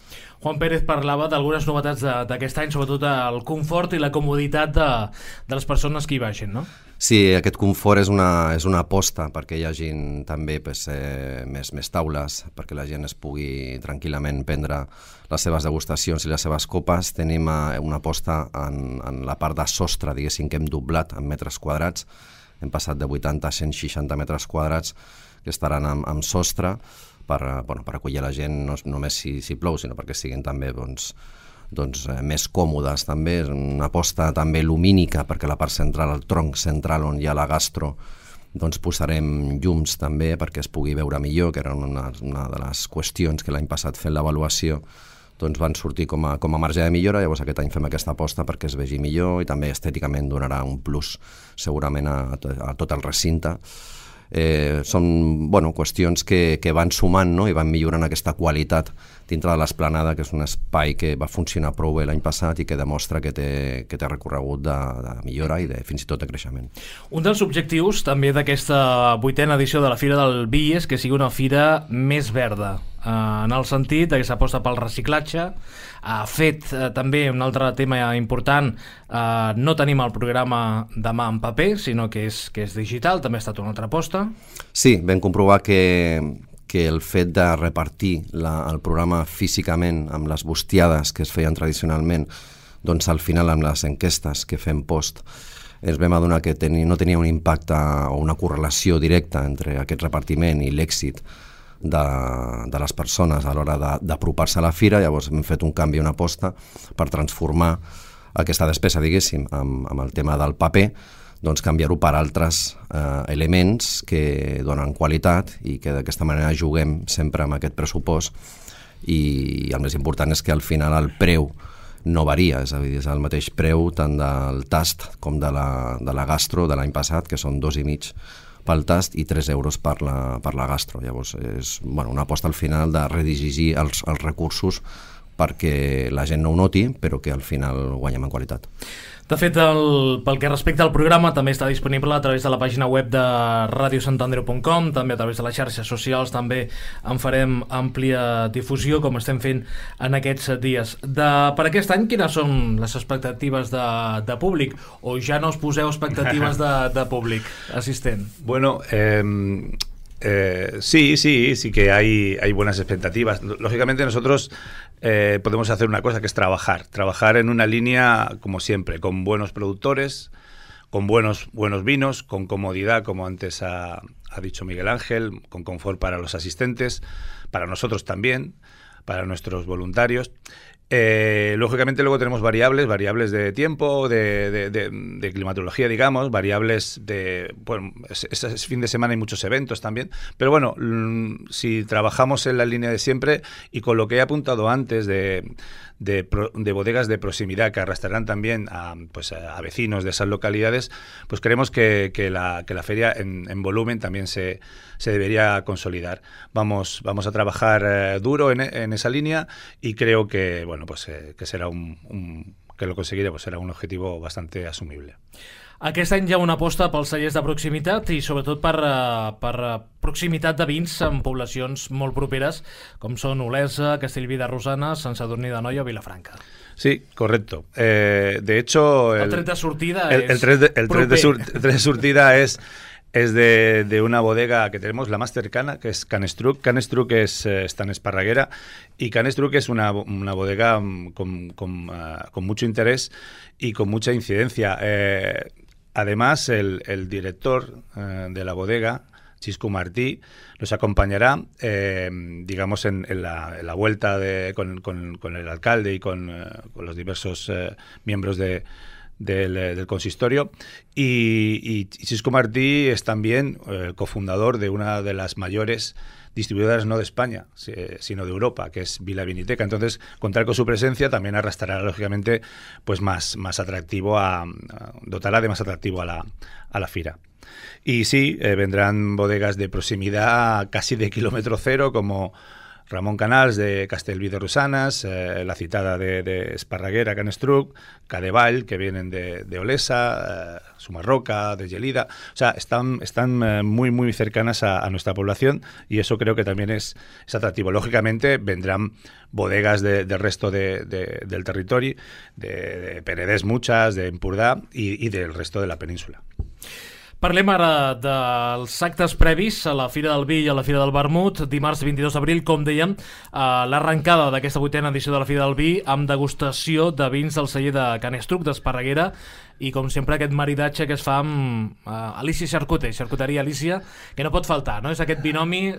Juan Pérez parlava d'algunes novetats d'aquest any, sobretot el confort i la comoditat de les persones que hi vagin, no? Sí, aquest confort és una aposta perquè hi hagi també més taules, perquè la gent es pugui tranquil·lament prendre les seves degustacions i les seves copes. Tenim una aposta en la part de sostre, diguéssim, que hem doblat en metres quadrats. Hem passat de 80 a 160 metres quadrats que estaran amb sostre per acollir la gent no només si plou, sinó perquè siguin també més còmodes. També és una aposta també lumínica perquè la part central, el tronc central on hi ha la gastro, posarem llums també perquè es pugui veure millor, que era una de les qüestions que l'any passat fent l'avaluació van sortir com a marge de millora. Llavors aquest any fem aquesta aposta perquè es vegi millor i també estèticament donarà un plus segurament a tot el recinte. Són qüestions que van sumant, no?, i van millorant aquesta qualitat dintre de l'Esplanada, que és un espai que va funcionar prou bé l'any passat i que demostra que té recorregut de millora i fins i tot de creixement. Un dels objectius també d'aquesta 8a edició de la Fira del Vi és que sigui una fira més verda, en el sentit que s'aposta pel reciclatge. Fet també un altre tema important, no tenim el programa demà en paper, sinó que és digital, també ha estat una altra aposta. Sí, vam comprovar que que el fet de repartir el programa físicament amb les bustiades que es feien tradicionalment, doncs al final amb les enquestes que fem post ens vam adonar que no tenia un impacte o una correlació directa entre aquest repartiment i l'èxit de les persones a l'hora d'apropar-se a la fira. Llavors hem fet un canvi, una aposta per transformar aquesta despesa, diguéssim, amb el tema del paper, doncs canviar-ho per altres elements que donen qualitat i que d'aquesta manera juguem sempre amb aquest pressupost, i el més important és que al final el preu no varia, és a dir, és el mateix preu tant del tast com de la gastro de l'any passat, que són 2,5 pel tast i 3 euros per la gastro. Llavors és una aposta al final de redirigir els recursos perquè la gent no ho noti, però que al final guanyem en qualitat. De fet, pel que respecta al programa, també està disponible a través de la pàgina web de radiosantandreu.com, també a través de les xarxes socials, també en farem àmplia difusió, com estem fent en aquests dies. Per aquest any, quines són les expectatives de públic? O ja no us poseu expectatives de públic assistent? Bueno, sí que hay buenas expectativas. Lógicamente nosotros podemos hacer una cosa, que es trabajar en una línea, como siempre, con buenos productores, con buenos vinos, con comodidad, como antes ha dicho Miguel Ángel, con confort para los asistentes, para nosotros también, para nuestros voluntarios. Lógicamente luego tenemos variables de tiempo, de climatología, digamos, variables de... Bueno, es fin de semana, hay muchos eventos también, pero bueno, si trabajamos en la línea de siempre y con lo que he apuntado antes de bodegas de proximidad que arrastrarán también a vecinos de esas localidades, pues creemos que la feria en volumen también se debería consolidar. Vamos a trabajar duro en esa línea y creo que que será que lo conseguiremos, será un objetivo bastante asumible. Aquest any hi ha una aposta pels cellers de proximitat i sobretot per proximitat de vins en poblacions molt properes com són Olesa, Castellví de Rosanes, Sant Sadurní d'Anoia o Vilafranca. Sí, correcto. De hecho... El tret de sortida el tret de sortida es de una bodega que tenemos, la más cercana, que es Canestruc. Canestruc está en Esparraguera, y Canestruc es una bodega con mucho interés y con mucha incidencia. Además, el director de la bodega, Xisco Martí, nos acompañará, digamos, en la vuelta con el alcalde y con los diversos miembros del consistorio, y Xisco Martí es también el cofundador de una de las mayores distribuidoras no de España, sino de Europa, que es Vila Viniteca. Entonces, contar con su presencia también arrastrará, lógicamente, pues más atractivo, dotará de más atractivo a la fira. Y sí, vendrán bodegas de proximidad casi de kilómetro cero, como Ramón Canals de Castellví de Rosanes, la citada de Esparraguera, Canestruc, Cadevall, que vienen de Olesa, Sumarroca, de Gelida. O sea, están muy cercanas a nuestra población, y eso creo que también es atractivo. Lógicamente vendrán bodegas del resto del territorio, de Penedès muchas, de Empordà y del resto de la península. Parlem ara dels actes previs a la Fira del Vi i a la Fira del Vermut. Dimarts 22 d'abril, com dèiem, l'arrencada d'aquesta 8a edició de la Fira del Vi amb degustació de vins del celler de Canestruc, d'Esparraguera, i com sempre aquest maridatge que es fa amb Alicia Charcuter, Charcuteria Alicia, que no pot faltar, ¿no? És aquest binomi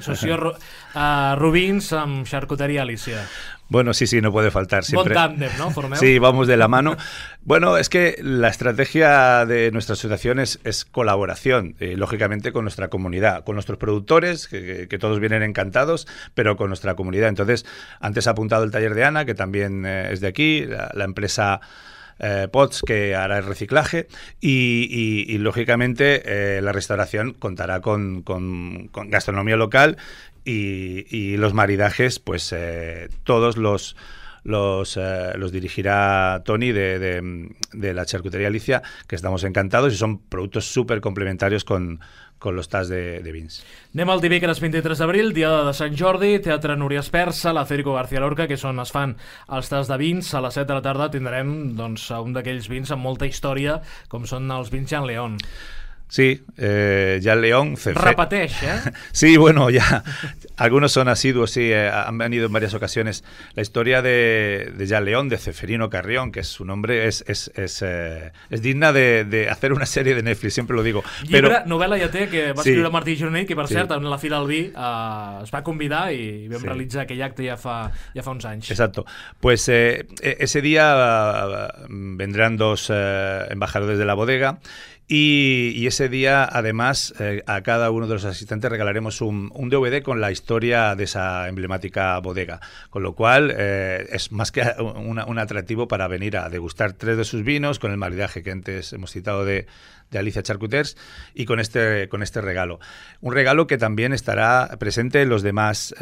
Rubins amb Charcuteria Alicia. Bueno, sí, no puede faltar. Siempre. Bon tándem, ¿no? Formeu. Sí, vamos de la mano. Bueno, es que la estrategia de nuestra asociación es colaboración, lógicamente, con nuestra comunidad, con nuestros productores, que todos vienen encantados, pero con nuestra comunidad. Entonces, antes ha apuntado el taller de Ana, que también es de aquí, la empresa Pots, que hará el reciclaje, y lógicamente la restauración contará con gastronomía local, y los maridajes, pues todos los dirigirá Toni de la Charcutería Alicia, que estamos encantados, y son productos súper complementarios con los tas de vins. Anem al dimecres 23 d'abril, dia de Sant Jordi, Teatre Núria Espersa, la Federico García Lorca, que és on es fan els tas de vins. A les 7 de la tarda tindrem un d'aquells vins amb molta història, com són els vins Jean León. Sí, Jan León. Repeteix, Sí, bueno, ya. Algunos son asiduos, sí, han venido en varias ocasiones. La historia de Jan León, de Ceferino Carrión, que es su nombre, es digna de hacer una serie de Netflix, siempre lo digo. Llibre, novel·la ja té, que va escriure Martí Gironell, que per cert, en la Fira del Vi es va convidar y vam realitzar aquell acte ja fa uns anys. Exacto. Pues ese día vendrán 2 embajadores de la bodega. Y ese día, además, a cada uno de los asistentes regalaremos un DVD con la historia de esa emblemática bodega. Con lo cual, es más que un atractivo para venir a degustar 3 de sus vinos, con el maridaje que antes hemos citado de Alicia Charcuters, y con este regalo. Un regalo que también estará presente en los demás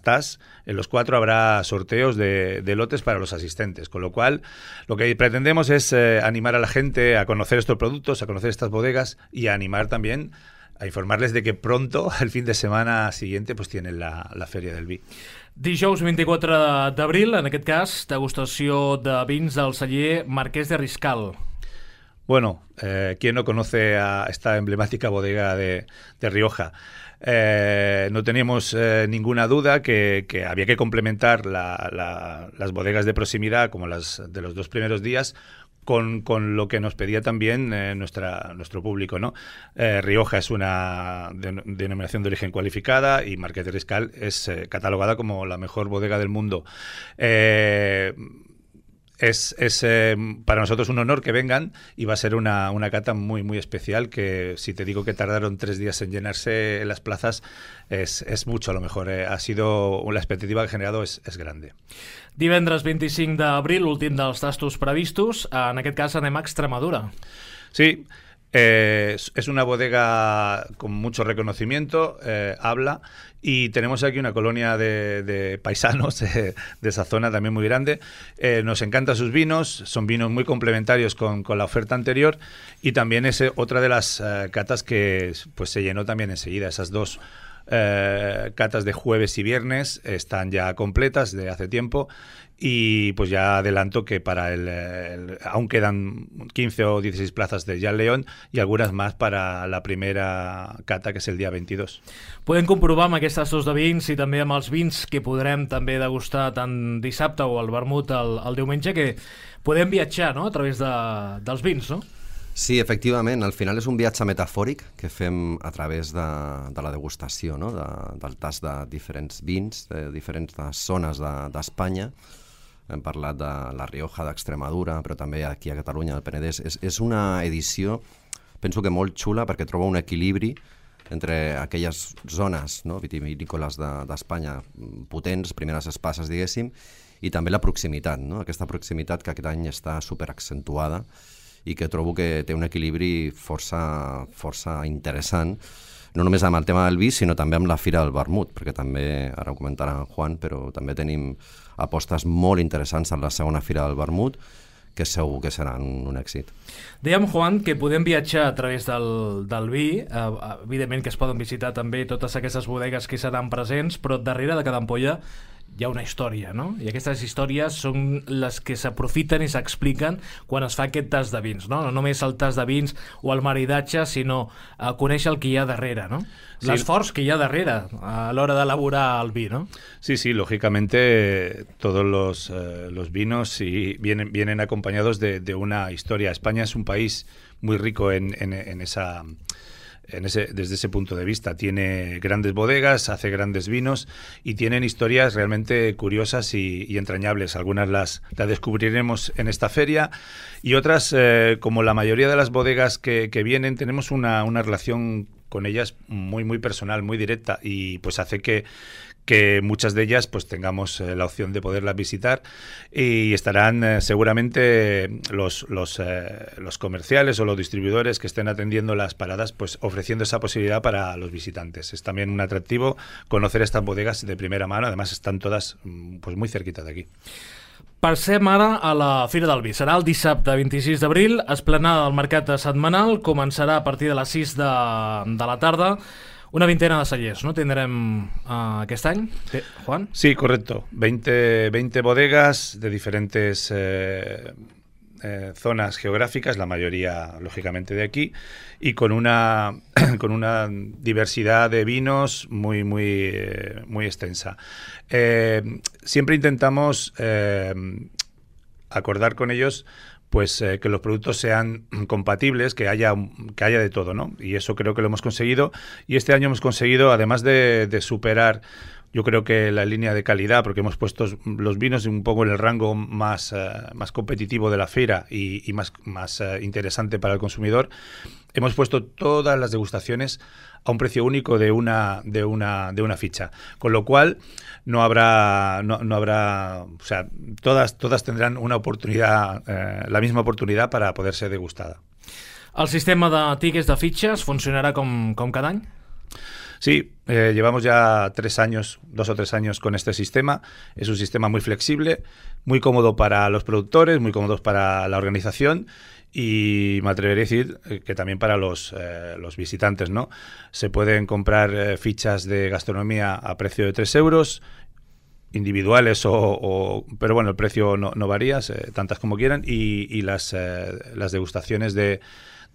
TAS. En los 4 habrá sorteos de lotes para los asistentes. Con lo cual, lo que pretendemos es animar a la gente a conocer estos productos, a conocer estas bodegas y a animar también a informarles de que pronto, el fin de semana siguiente, pues tienen la Feria del Vi. Dijous 24 d'abril, en aquest cas, degustació de vins del celler Marquès de Riscal. Bueno, ¿quién no conoce a esta emblemática bodega de Rioja? No teníamos ninguna duda que había que complementar las bodegas de proximidad, como las de los 2 primeros días, con lo que nos pedía también nuestro público, ¿no? Rioja es una denominación de origen cualificada y Marquès de Riscal es catalogada como la mejor bodega del mundo. Es para nosotros un honor que vengan y va a ser una cata muy, muy especial, que si te digo que tardaron 3 días en llenarse en las plazas, es mucho a lo mejor. Ha sido, la expectativa que ha generado es grande. Divendres 25 d'abril, l'últim dels tastos previstos. En aquest cas anem a Extremadura. Sí, es una bodega con mucho reconocimiento, habla, y tenemos aquí una colonia de paisanos de esa zona también muy grande. Nos encantan sus vinos, son vinos muy complementarios con la oferta anterior, y también es otra de las catas que pues se llenó también enseguida. Esas 2 catas de jueves y viernes están ya completas de hace tiempo, y pues ya adelanto que para aún quedan 15 o 16 plazas de Jan León y algunas más para la primera cata, que és el dia 22. Podem comprovar amb aquests tastos de vins i també amb els vins que podrem també degustar tant dissabte o el vermut el diumenge, que podem viatjar, no?, a través dels vins, no? Sí, efectivament, al final és un viatge metafòric que fem a través de la degustació, no? Del tast de diferents vins, de diferents zones d'Espanya. Hem parlat de la Rioja, d'Extremadura, però també aquí a Catalunya, al Penedès. És una edició, penso que molt xula, perquè troba un equilibri entre aquelles zones, no?, vitivinícoles d'Espanya potents, primeres espasses, diguéssim, i també la proximitat, no?, aquesta proximitat que aquest any està superaccentuada i que trobo que té un equilibri força interessant, no només amb el tema del vi, sinó també amb la Fira del Vermut, perquè també, ara ho comentarà en Juan, però també tenim apostes molt interessants en la segona Fira del Vermut, que segur que seran un èxit. Dèiem, Juan, que podem viatjar a través del vi, evidentment que es poden visitar també totes aquestes bodegues que seran presents, però darrere de cada ampolla hi ha una història, no? I aquestes històries són les que s'aprofiten i s'expliquen quan es fa aquest tast de vins, no? No només el tast de vins o el maridatge, sinó conèixer el que hi ha darrere, ¿no? Sí. L'esforç que hi ha darrere a l'hora d'elaborar el vi, ¿no? Sí, sí, lógicamente todos los vinos vienen acompañados de una historia. España es un país muy rico desde ese punto de vista. Tiene grandes bodegas, hace grandes vinos y tienen historias realmente curiosas y entrañables. Algunas las descubriremos en esta feria y otras, como la mayoría de las bodegas que vienen, tenemos una relación con ellas muy, muy personal, muy directa, y pues hace que muchas de ellas pues tengamos la opción de poderlas visitar, y estarán seguramente los comerciales o los distribuidores que estén atendiendo las paradas pues ofreciendo esa posibilidad para los visitantes. Es también un atractivo conocer estas bodegas de primera mano, además están todas pues muy cerquita de aquí. Passem ara a la Fira del Vi. Serà el dissabte 26 d'abril, esplanada del mercat setmanal, començarà a partir de les 6 de la tarda. Una vintena de cellers, ¿no? Tendrem aquest any, Juan? Sí, correcto. 20 bodegas de diferentes zonas geográficas, la mayoría lógicamente de aquí, y con una diversidad de vinos muy extensa. Siempre intentamos acordar con ellos pues que los productos sean compatibles, que haya de todo, ¿no? Y eso creo que lo hemos conseguido. Y este año hemos conseguido, además de superar, yo creo que la línea de calidad, porque hemos puesto los vinos un poco en el rango más competitivo de la feira y más interesante para el consumidor, hemos puesto todas las degustaciones a un precio único de una ficha, con lo cual no habrá, o sea, todas tendrán una oportunidad, la misma oportunidad para poder ser degustada. El sistema de tickets de fitxes funcionarà com cada any? Sí, llevamos ya 2 o 3 años con este sistema. Es un sistema muy flexible, muy cómodo para los productores, muy cómodo para la organización y me atrevería a decir que también para los visitantes, ¿no? Se pueden comprar fichas de gastronomía a precio de 3 euros, individuales pero bueno, el precio no varía, tantas como quieran, y las degustaciones de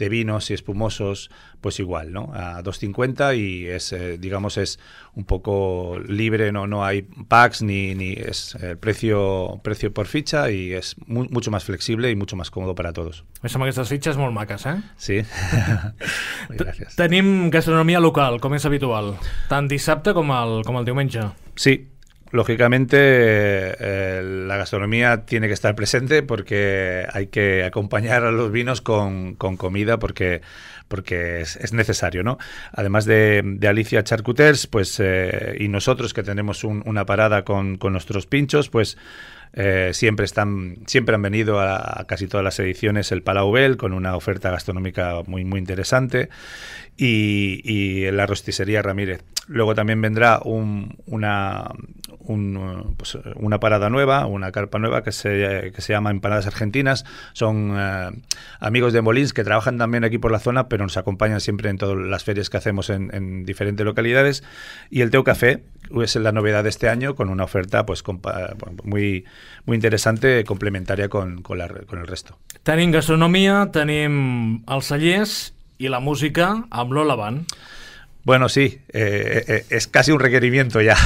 vinos y espumosos, pues igual, ¿no? A 2,50 y es, digamos, es un poco libre, no hay packs ni es el precio por ficha y es mucho más flexible y mucho más cómodo para todos. Més amb aquestes fitxes molt maques, eh? Sí. Gràcies. Tenim gastronomia local, com és habitual, tant dissabte com el diumenge. Sí. Lógicamente la gastronomía tiene que estar presente porque hay que acompañar a los vinos con comida porque es necesario, ¿no? Además de Alicia Charcuters, pues y nosotros que tenemos una parada con nuestros pinchos, pues siempre han venido a casi todas las ediciones el Palau Bel con una oferta gastronómica muy interesante y la rosticería Ramírez. Luego también vendrá una parada nueva, una carpa nueva que se llama Empanadas Argentinas. Son amigos de Molins que trabajan también aquí por la zona, pero nos acompañan siempre en todas las ferias que hacemos en diferentes localidades. Y el Teu Café es la novedad de este año con una oferta pues muy interesante, complementaria con el resto. Tenim gastronomia, tenim els cellers i la música amb l'Ola Band. Bueno, sí, es casi un requerimiento ya.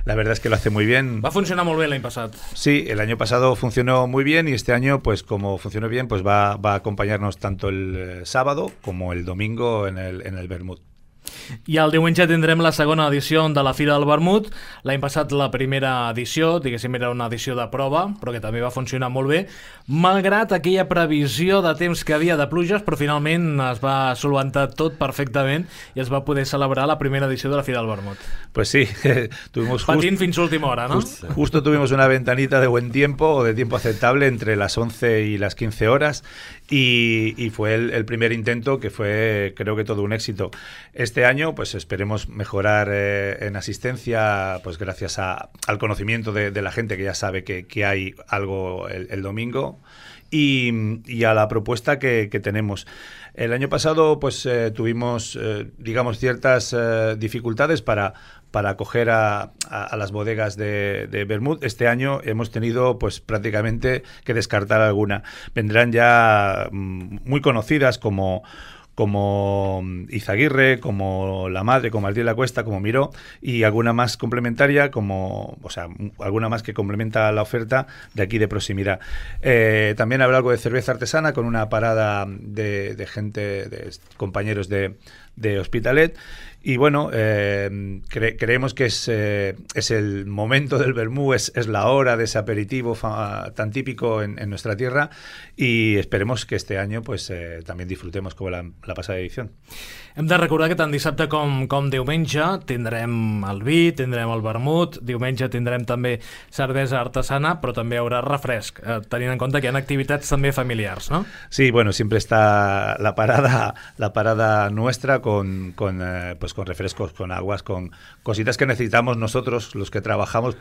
La verdad es que lo hace muy bien. Va funcionar molt bé l'any passat. Sí, el año pasado funcionó muy bien y este año, pues como funcionó bien, pues va a acompañarnos tanto el sábado como el domingo en el Vermut. I el diumenge tindrem la segona edició de la Fira del Vermut. L'any passat la primera edició, diguéssim, era una edició de prova, però que també va funcionar molt bé, malgrat aquella previsió de temps que havia de pluges, però finalment es va solventar tot perfectament i es va poder celebrar la primera edició de la Fira del Vermut. Pues sí, tuvimos patint fins a última hora, ¿no? Justo tuvimos una ventanita de buen tiempo o de tiempo aceptable entre las 11 y las 15 horas y fue el primer intento que fue, creo que todo un éxito. Este año pues esperemos mejorar en asistencia, pues gracias al conocimiento de la gente que ya sabe que hay algo el domingo y a la propuesta que tenemos. El año pasado pues tuvimos digamos ciertas dificultades para acoger a las bodegas de Vermut. Este año hemos tenido pues prácticamente que descartar alguna. Vendrán ya muy conocidas como Izaguirre, como La Madre, como Martí de la Cuesta, como Miró, y alguna más complementaria, alguna más que complementa la oferta de aquí de proximidad. También habrá algo de cerveza artesana con una parada de gente, de compañeros de Hospitalet. Y bueno, creemos que es el momento del vermú, es la hora de ese aperitivo tan típico en nuestra tierra y esperemos que este año pues también disfrutemos como la pasada edición. Hem de recordar que tant dissabte com diumenge tindrem el vi, tindrem el vermut, diumenge tindrem també cervesa artesana, però també hi haurà refresc, tenint en compte que hi ha activitats també familiars, ¿no? Sí, bueno, siempre está la parada nuestra con refrescos, con aguas, con cositas que necesitamos nosotros, los que trabajamos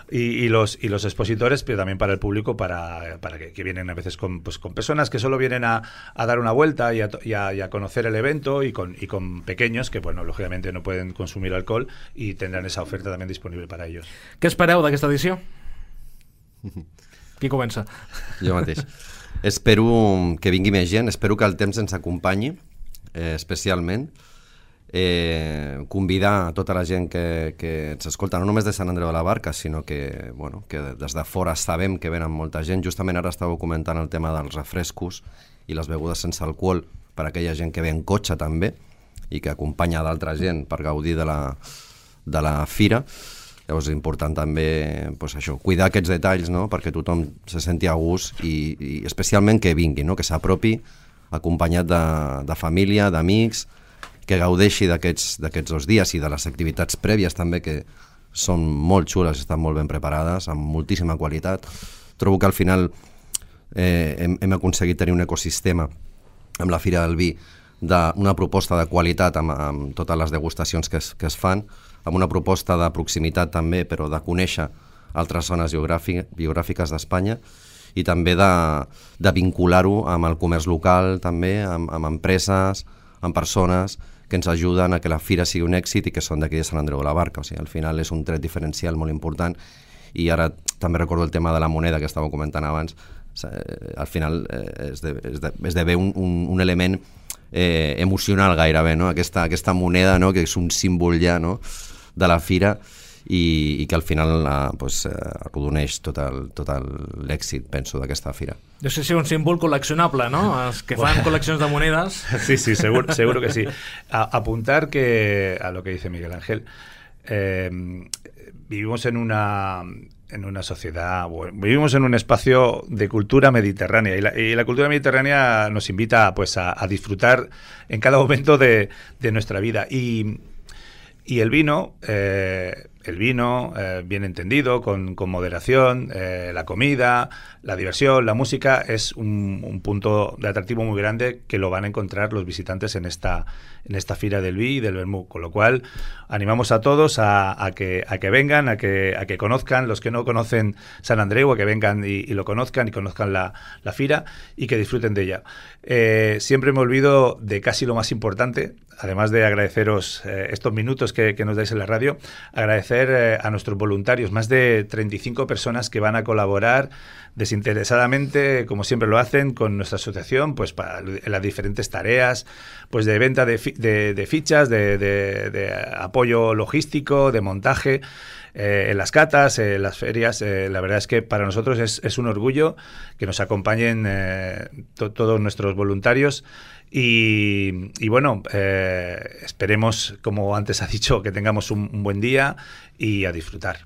y los expositores, pero también para el público, para que vienen a veces con personas que solo vienen a dar una vuelta y a conocer el evento y con pequeños que, bueno, lógicamente no pueden consumir alcohol y tendrán esa oferta también disponible para ellos. Què espereu d'aquesta edició? Qui comença? Jo mateix. Espero que vingui més gent, espero que el temps ens acompanyi, especialment. Convidar a tota la gent que ens escolta, no només de Sant Andreu de la Barca, sinó que, bueno, que des de fora sabem que venen molta gent. Justament ara estàveu comentant el tema dels refrescos i les begudes sense alcohol per a aquella gent que ve en cotxe també i que acompanya d'altra gent per gaudir de la fira. Llavors és important també pues, això, cuidar aquests detalls, no? Perquè tothom se senti a gust i especialment que vingui, no? Que s'apropi acompanyat de família, d'amics, que gaudeixi d'aquests 2 dies i de les activitats prèvies també, que són molt xules, estan molt ben preparades, amb moltíssima qualitat. Trobo que al final hem aconseguit tenir un ecosistema amb la Fira del Vi, d'una proposta de qualitat amb totes les degustacions que es fan, amb una proposta de proximitat també, però de conèixer altres zones biogràfiques d'Espanya i també de vincular-ho amb el comerç local també, amb empreses, amb persones que ens ajuden a que la fira sigui un èxit i que són d'aquí de Sant Andreu de la Barca. O sigui, al final és un tret diferencial molt important i ara també recordo el tema de la moneda que estàveu comentant abans. Al final esdevé un element emocional gairebé, no? Aquesta moneda, no? Que és un símbol ja, no? De la fira i que al final arrodoneix tot l'èxit, penso, d'aquesta fira. Deu ser un símbol col·leccionable, ¿no? Els que fan coleccions de monedas. Sí, seguro que sí. Apuntar que a lo que dice Miguel Ángel, vivimos en una sociedad, vivimos en un espacio de cultura mediterránea y la cultura mediterránea nos invita pues a disfrutar en cada momento de nuestra vida y el vino bien entendido, con moderación, la comida, la diversión, la música es un punto de atractivo muy grande que lo van a encontrar los visitantes en esta Fira del Vi y del Vermú, con lo cual animamos a todos a que vengan, a que conozcan, los que no conocen Sant Andreu, a que vengan y lo conozcan y conozcan la fira y que disfruten de ella. Siempre me olvido de casi lo más importante, además de agradeceros estos minutos que nos dais en la radio, agradecer a nuestros voluntarios, más de 35 personas que van a colaborar desinteresadamente, como siempre lo hacen, con nuestra asociación, pues en las diferentes tareas, pues de venta de fichas, de apoyo logístico, de montaje, en las catas, en las ferias. La verdad es que para nosotros es un orgullo que nos acompañen todos nuestros voluntarios. Y bueno, esperemos, como antes ha dicho, que tengamos un buen día y a disfrutar.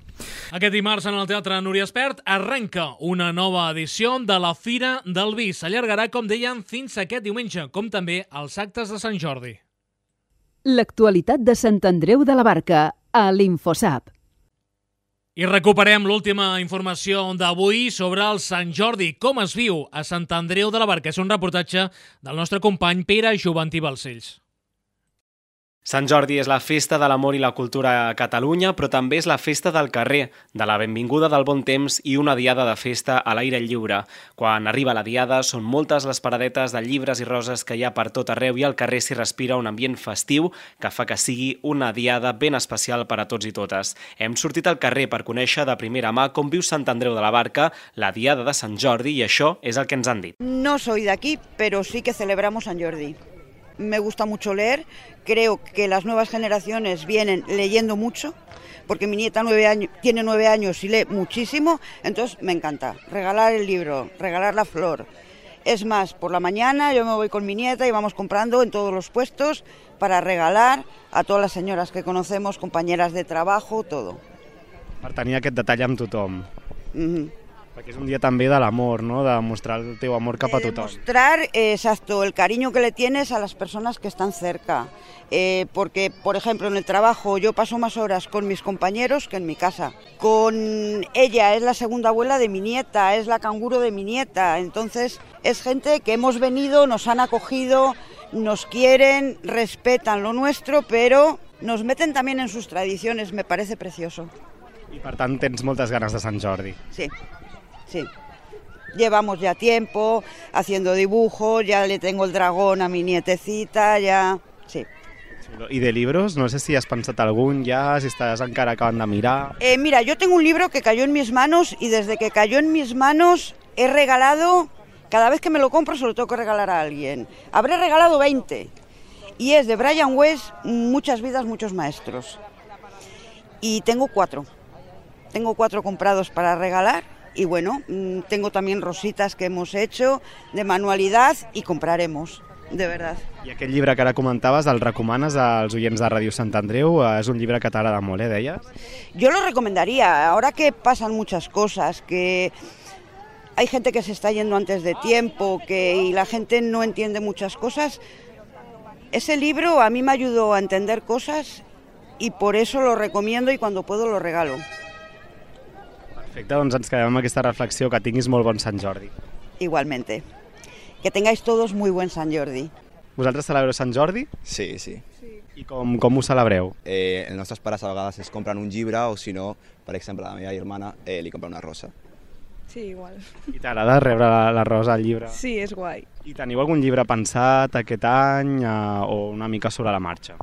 Aquest dimarts en el Teatre Núria Espert arrenca una nova edició de la Fira del Vi. S'allargarà, com deien, fins aquest diumenge, com també els actes de Sant Jordi. L'actualitat de Sant Andreu de la Barca a l'Infosap. I recuperem l'última informació d'avui sobre el Sant Jordi, com es viu a Sant Andreu de la Barca. És un reportatge del nostre company Pere Joventí Balcells. Sant Jordi és la festa de l'amor i la cultura a Catalunya, però també és la festa del carrer, de la benvinguda del bon temps i una diada de festa a l'aire lliure. Quan arriba la diada, són moltes les paradetes de llibres i roses que hi ha per tot arreu i al carrer s'hi respira un ambient festiu que fa que sigui una diada ben especial per a tots i totes. Hem sortit al carrer per conèixer de primera mà com viu Sant Andreu de la Barca la diada de Sant Jordi i això és el que ens han dit. No soy de aquí, pero sí que celebramos San Jordi. Me gusta mucho leer, creo que las nuevas generaciones vienen leyendo mucho, porque mi nieta tiene 9 años y lee muchísimo, entonces me encanta regalar el libro, regalar la flor. Es más, por la mañana yo me voy con mi nieta y vamos comprando en todos los puestos para regalar a todas las señoras que conocemos, compañeras de trabajo, todo. Per tenir aquest detall amb tothom. Perquè és un dia també de l'amor, ¿no? De mostrar el teu amor cap a tothom. Mostrar, exacto, el cariño que le tienes a las personas que están cerca. Porque, por ejemplo, en el trabajo yo paso más horas con mis compañeros que en mi casa. Con ella es la segunda abuela de mi nieta, es la canguro de mi nieta. Entonces, es gente que hemos venido, nos han acogido, nos quieren, respetan lo nuestro, pero nos meten también en sus tradiciones, me parece precioso. I per tant tens moltes ganes de Sant Jordi. Sí. Sí, llevamos ya tiempo haciendo dibujos, ya le tengo el dragón a mi nietecita, ya... Sí. ¿Y de libros? No sé si has pensado algún ya, si estás encara acabando de mirar. Mira, yo tengo un libro que cayó en mis manos y desde que cayó en mis manos he regalado, cada vez que me lo compro se lo tengo que regalar a alguien. Habré regalado 20 y es de Brian Weiss, Muchas vidas, muchos maestros. Y tengo 4 comprados para regalar y bueno, tengo también rositas que hemos hecho de manualidad y compraremos. De verdad. I aquest llibre que ara comentaves, el recomanes als oients de Ràdio Sant Andreu? És un llibre que t'agrada molt, deies? Yo lo recomendaría, ahora que pasan muchas cosas, que hay gente que se está yendo antes de tiempo, y la gente no entiende muchas cosas, ese libro a mí me ayudó a entender cosas y por eso lo recomiendo y cuando puedo lo regalo. Perfecte, doncs ens quedem amb aquesta reflexió, que tinguis molt bon Sant Jordi. Igualmente. Que tengáis todos muy buen Sant Jordi. Vosaltres celebreu Sant Jordi? Sí, sí. I com ho celebreu? Els nostres pares a vegades es compren un llibre o si no, per exemple, la meva germana li compra una rosa. Sí, igual. I t'agrada rebre la rosa al llibre? Sí, és guai. I teniu algun llibre pensat aquest any o una mica sobre la marxa?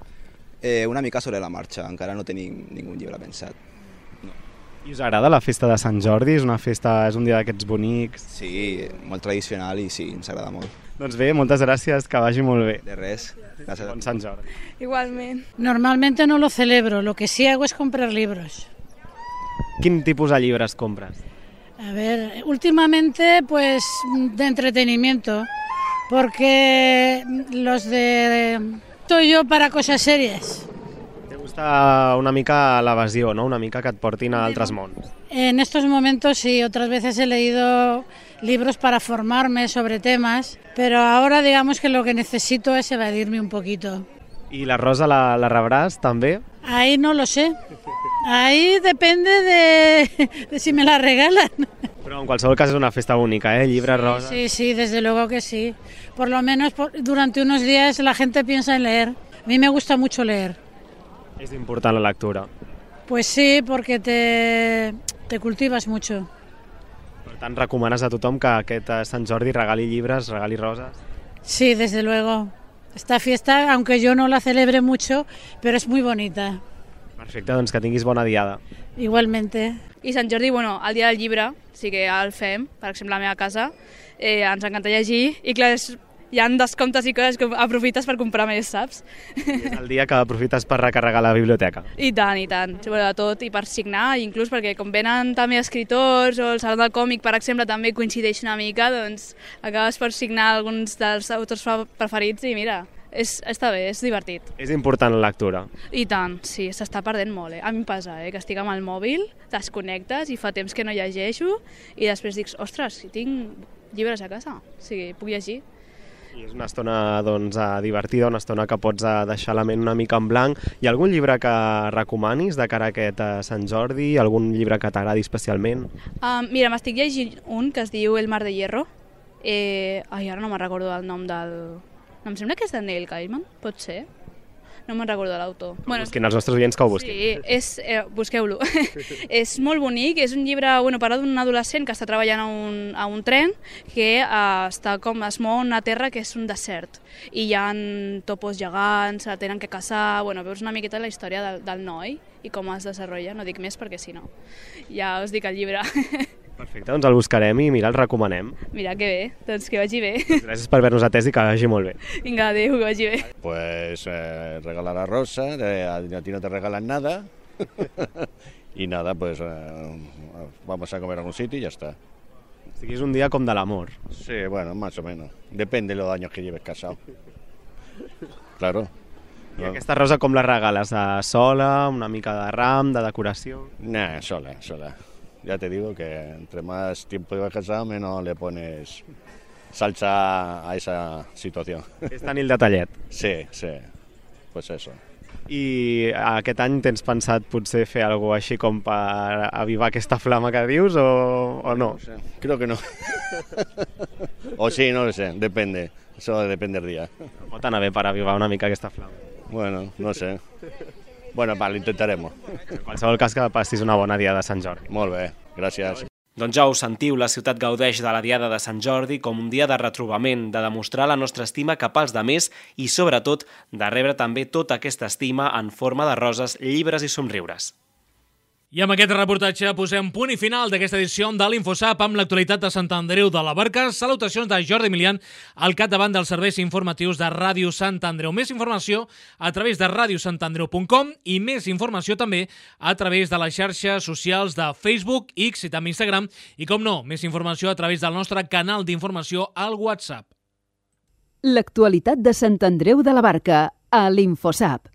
Una mica sobre la marxa, encara no tenim ningú llibre pensat. I us agrada la festa de Sant Jordi? És un dia d'aquests bonics? Sí, molt tradicional i sí, ens agrada molt. Doncs bé, moltes gràcies, que vagi molt bé. De res. Gràcies. Bon Sant Jordi. Igualment. Normalmente no lo celebro, lo que sí hago es comprar libros. Quin tipus de llibres compres? A ver, últimamente pues de entretenimiento, porque los de... Estoy yo para cosas serias. Te gusta una mica l'evasió, ¿no? Una mica que et portin a altres mons. En estos momentos sí, otras veces he leído libros para formarme sobre temas, pero ahora digamos que lo que necesito es evadirme un poquito. ¿Y la rosa la rebràs també? Ahí no lo sé. Ahí depende de si me la regalan. Pero en qualsevol cas és una festa única, ¿eh? Llibre rosa. Sí, sí, desde luego que sí. Por lo menos durante unos días la gente piensa en leer. A mí me gusta mucho leer. És important la lectura. Pues sí, porque te cultivas mucho. Per tant, recomanes a tothom que aquest Sant Jordi regali llibres, regali roses? Sí, desde luego. Esta fiesta, aunque yo no la celebre mucho, pero es muy bonita. Perfecte, doncs que tinguis bona diada. Igualmente. I Sant Jordi, bueno, el dia del llibre, sí que el fem, per exemple, a la meva casa, ens encanta llegir, i clar, hi ha descomptes i coses que aprofites per comprar més, saps? És el dia que aprofites per recarregar la biblioteca. I tant, sobretot, i per signar, inclús perquè com venen també escritors o el Saló del Còmic, per exemple, també coincideix una mica, doncs acabes per signar alguns dels autors preferits i mira, està bé, és divertit. És important la lectura. I tant, sí, s'està perdent molt. A mi em passa, que estic amb el mòbil, desconnectes i fa temps que no llegeixo i després dic, ostres, si tinc llibres a casa, o sigui, puc llegir. I és una estona doncs, divertida, una estona que pots deixar la ment una mica en blanc. Hi ha algun llibre que recomanis de cara a aquest Sant Jordi? Algun llibre que t'agradi especialment? Mira, m'estic llegint un que es diu El mar de hierro. Ara no me'n recordo el nom del... Em sembla que és de Neil Gaiman, pot ser? No me'n recordo l'autor. Busquin els nostres oients que ho busquin. Sí, busqueu-lo. És molt bonic, és un llibre parla d'un adolescent que està treballant a un tren que es mou a una terra que és un desert i hi ha topos gegants, se tenen que caçar, veus una miqueta la història del noi i com es desenvolupa, no dic més perquè si no ja us dic el llibre. Perfecte, doncs el buscarem i mira, el recomanem. Mira, que bé, doncs que vagi bé. Gràcies per haver-nos atès i que vagi molt bé. Vinga, adéu, que vagi bé. Pues regalar a Rosa, a ti no te regalan nada y nada, pues vamos a comer a algún sitio y ya está. Así que es un día com de l'amor. Sí, bueno, más o menos. Depende de los años que lleves casado. Claro. I aquesta rosa com la regales? Sola, una mica de ram, de decoració? Nah, sola. Ya te digo que entre más tiempo llevas casado, menos le pones salsa a esa situación. És tenir el detallet. Sí, pues eso. I aquest any tens pensat potser fer alguna cosa així com per avivar aquesta flama que dius o no? Creo que no. O sí, no lo sé, depende. Eso depende del día. Pot anar bé per avivar una mica aquesta flama. Bueno, no sé. Bueno, lo intentaremos. En qualsevol cas que passis una bona dia de Sant Jordi. Molt bé, gràcies. Doncs ja ho sentiu, la ciutat gaudeix de la Diada de Sant Jordi com un dia de retrobament, de demostrar la nostra estima cap als demés i, sobretot, de rebre també tota aquesta estima en forma de roses, llibres i somriures. I amb aquest reportatge posem punt i final d'aquesta edició de l'Infosap amb l'actualitat de Sant Andreu de la Barca. Salutacions de Jordi Milian, al capdavant dels serveis informatius de Ràdio Sant Andreu. Més informació a través de radiosantandreu.com i més informació també a través de les xarxes socials de Facebook, X i també Instagram. I, com no, més informació a través del nostre canal d'informació al WhatsApp. L'actualitat de Sant Andreu de la Barca a l'Infosap.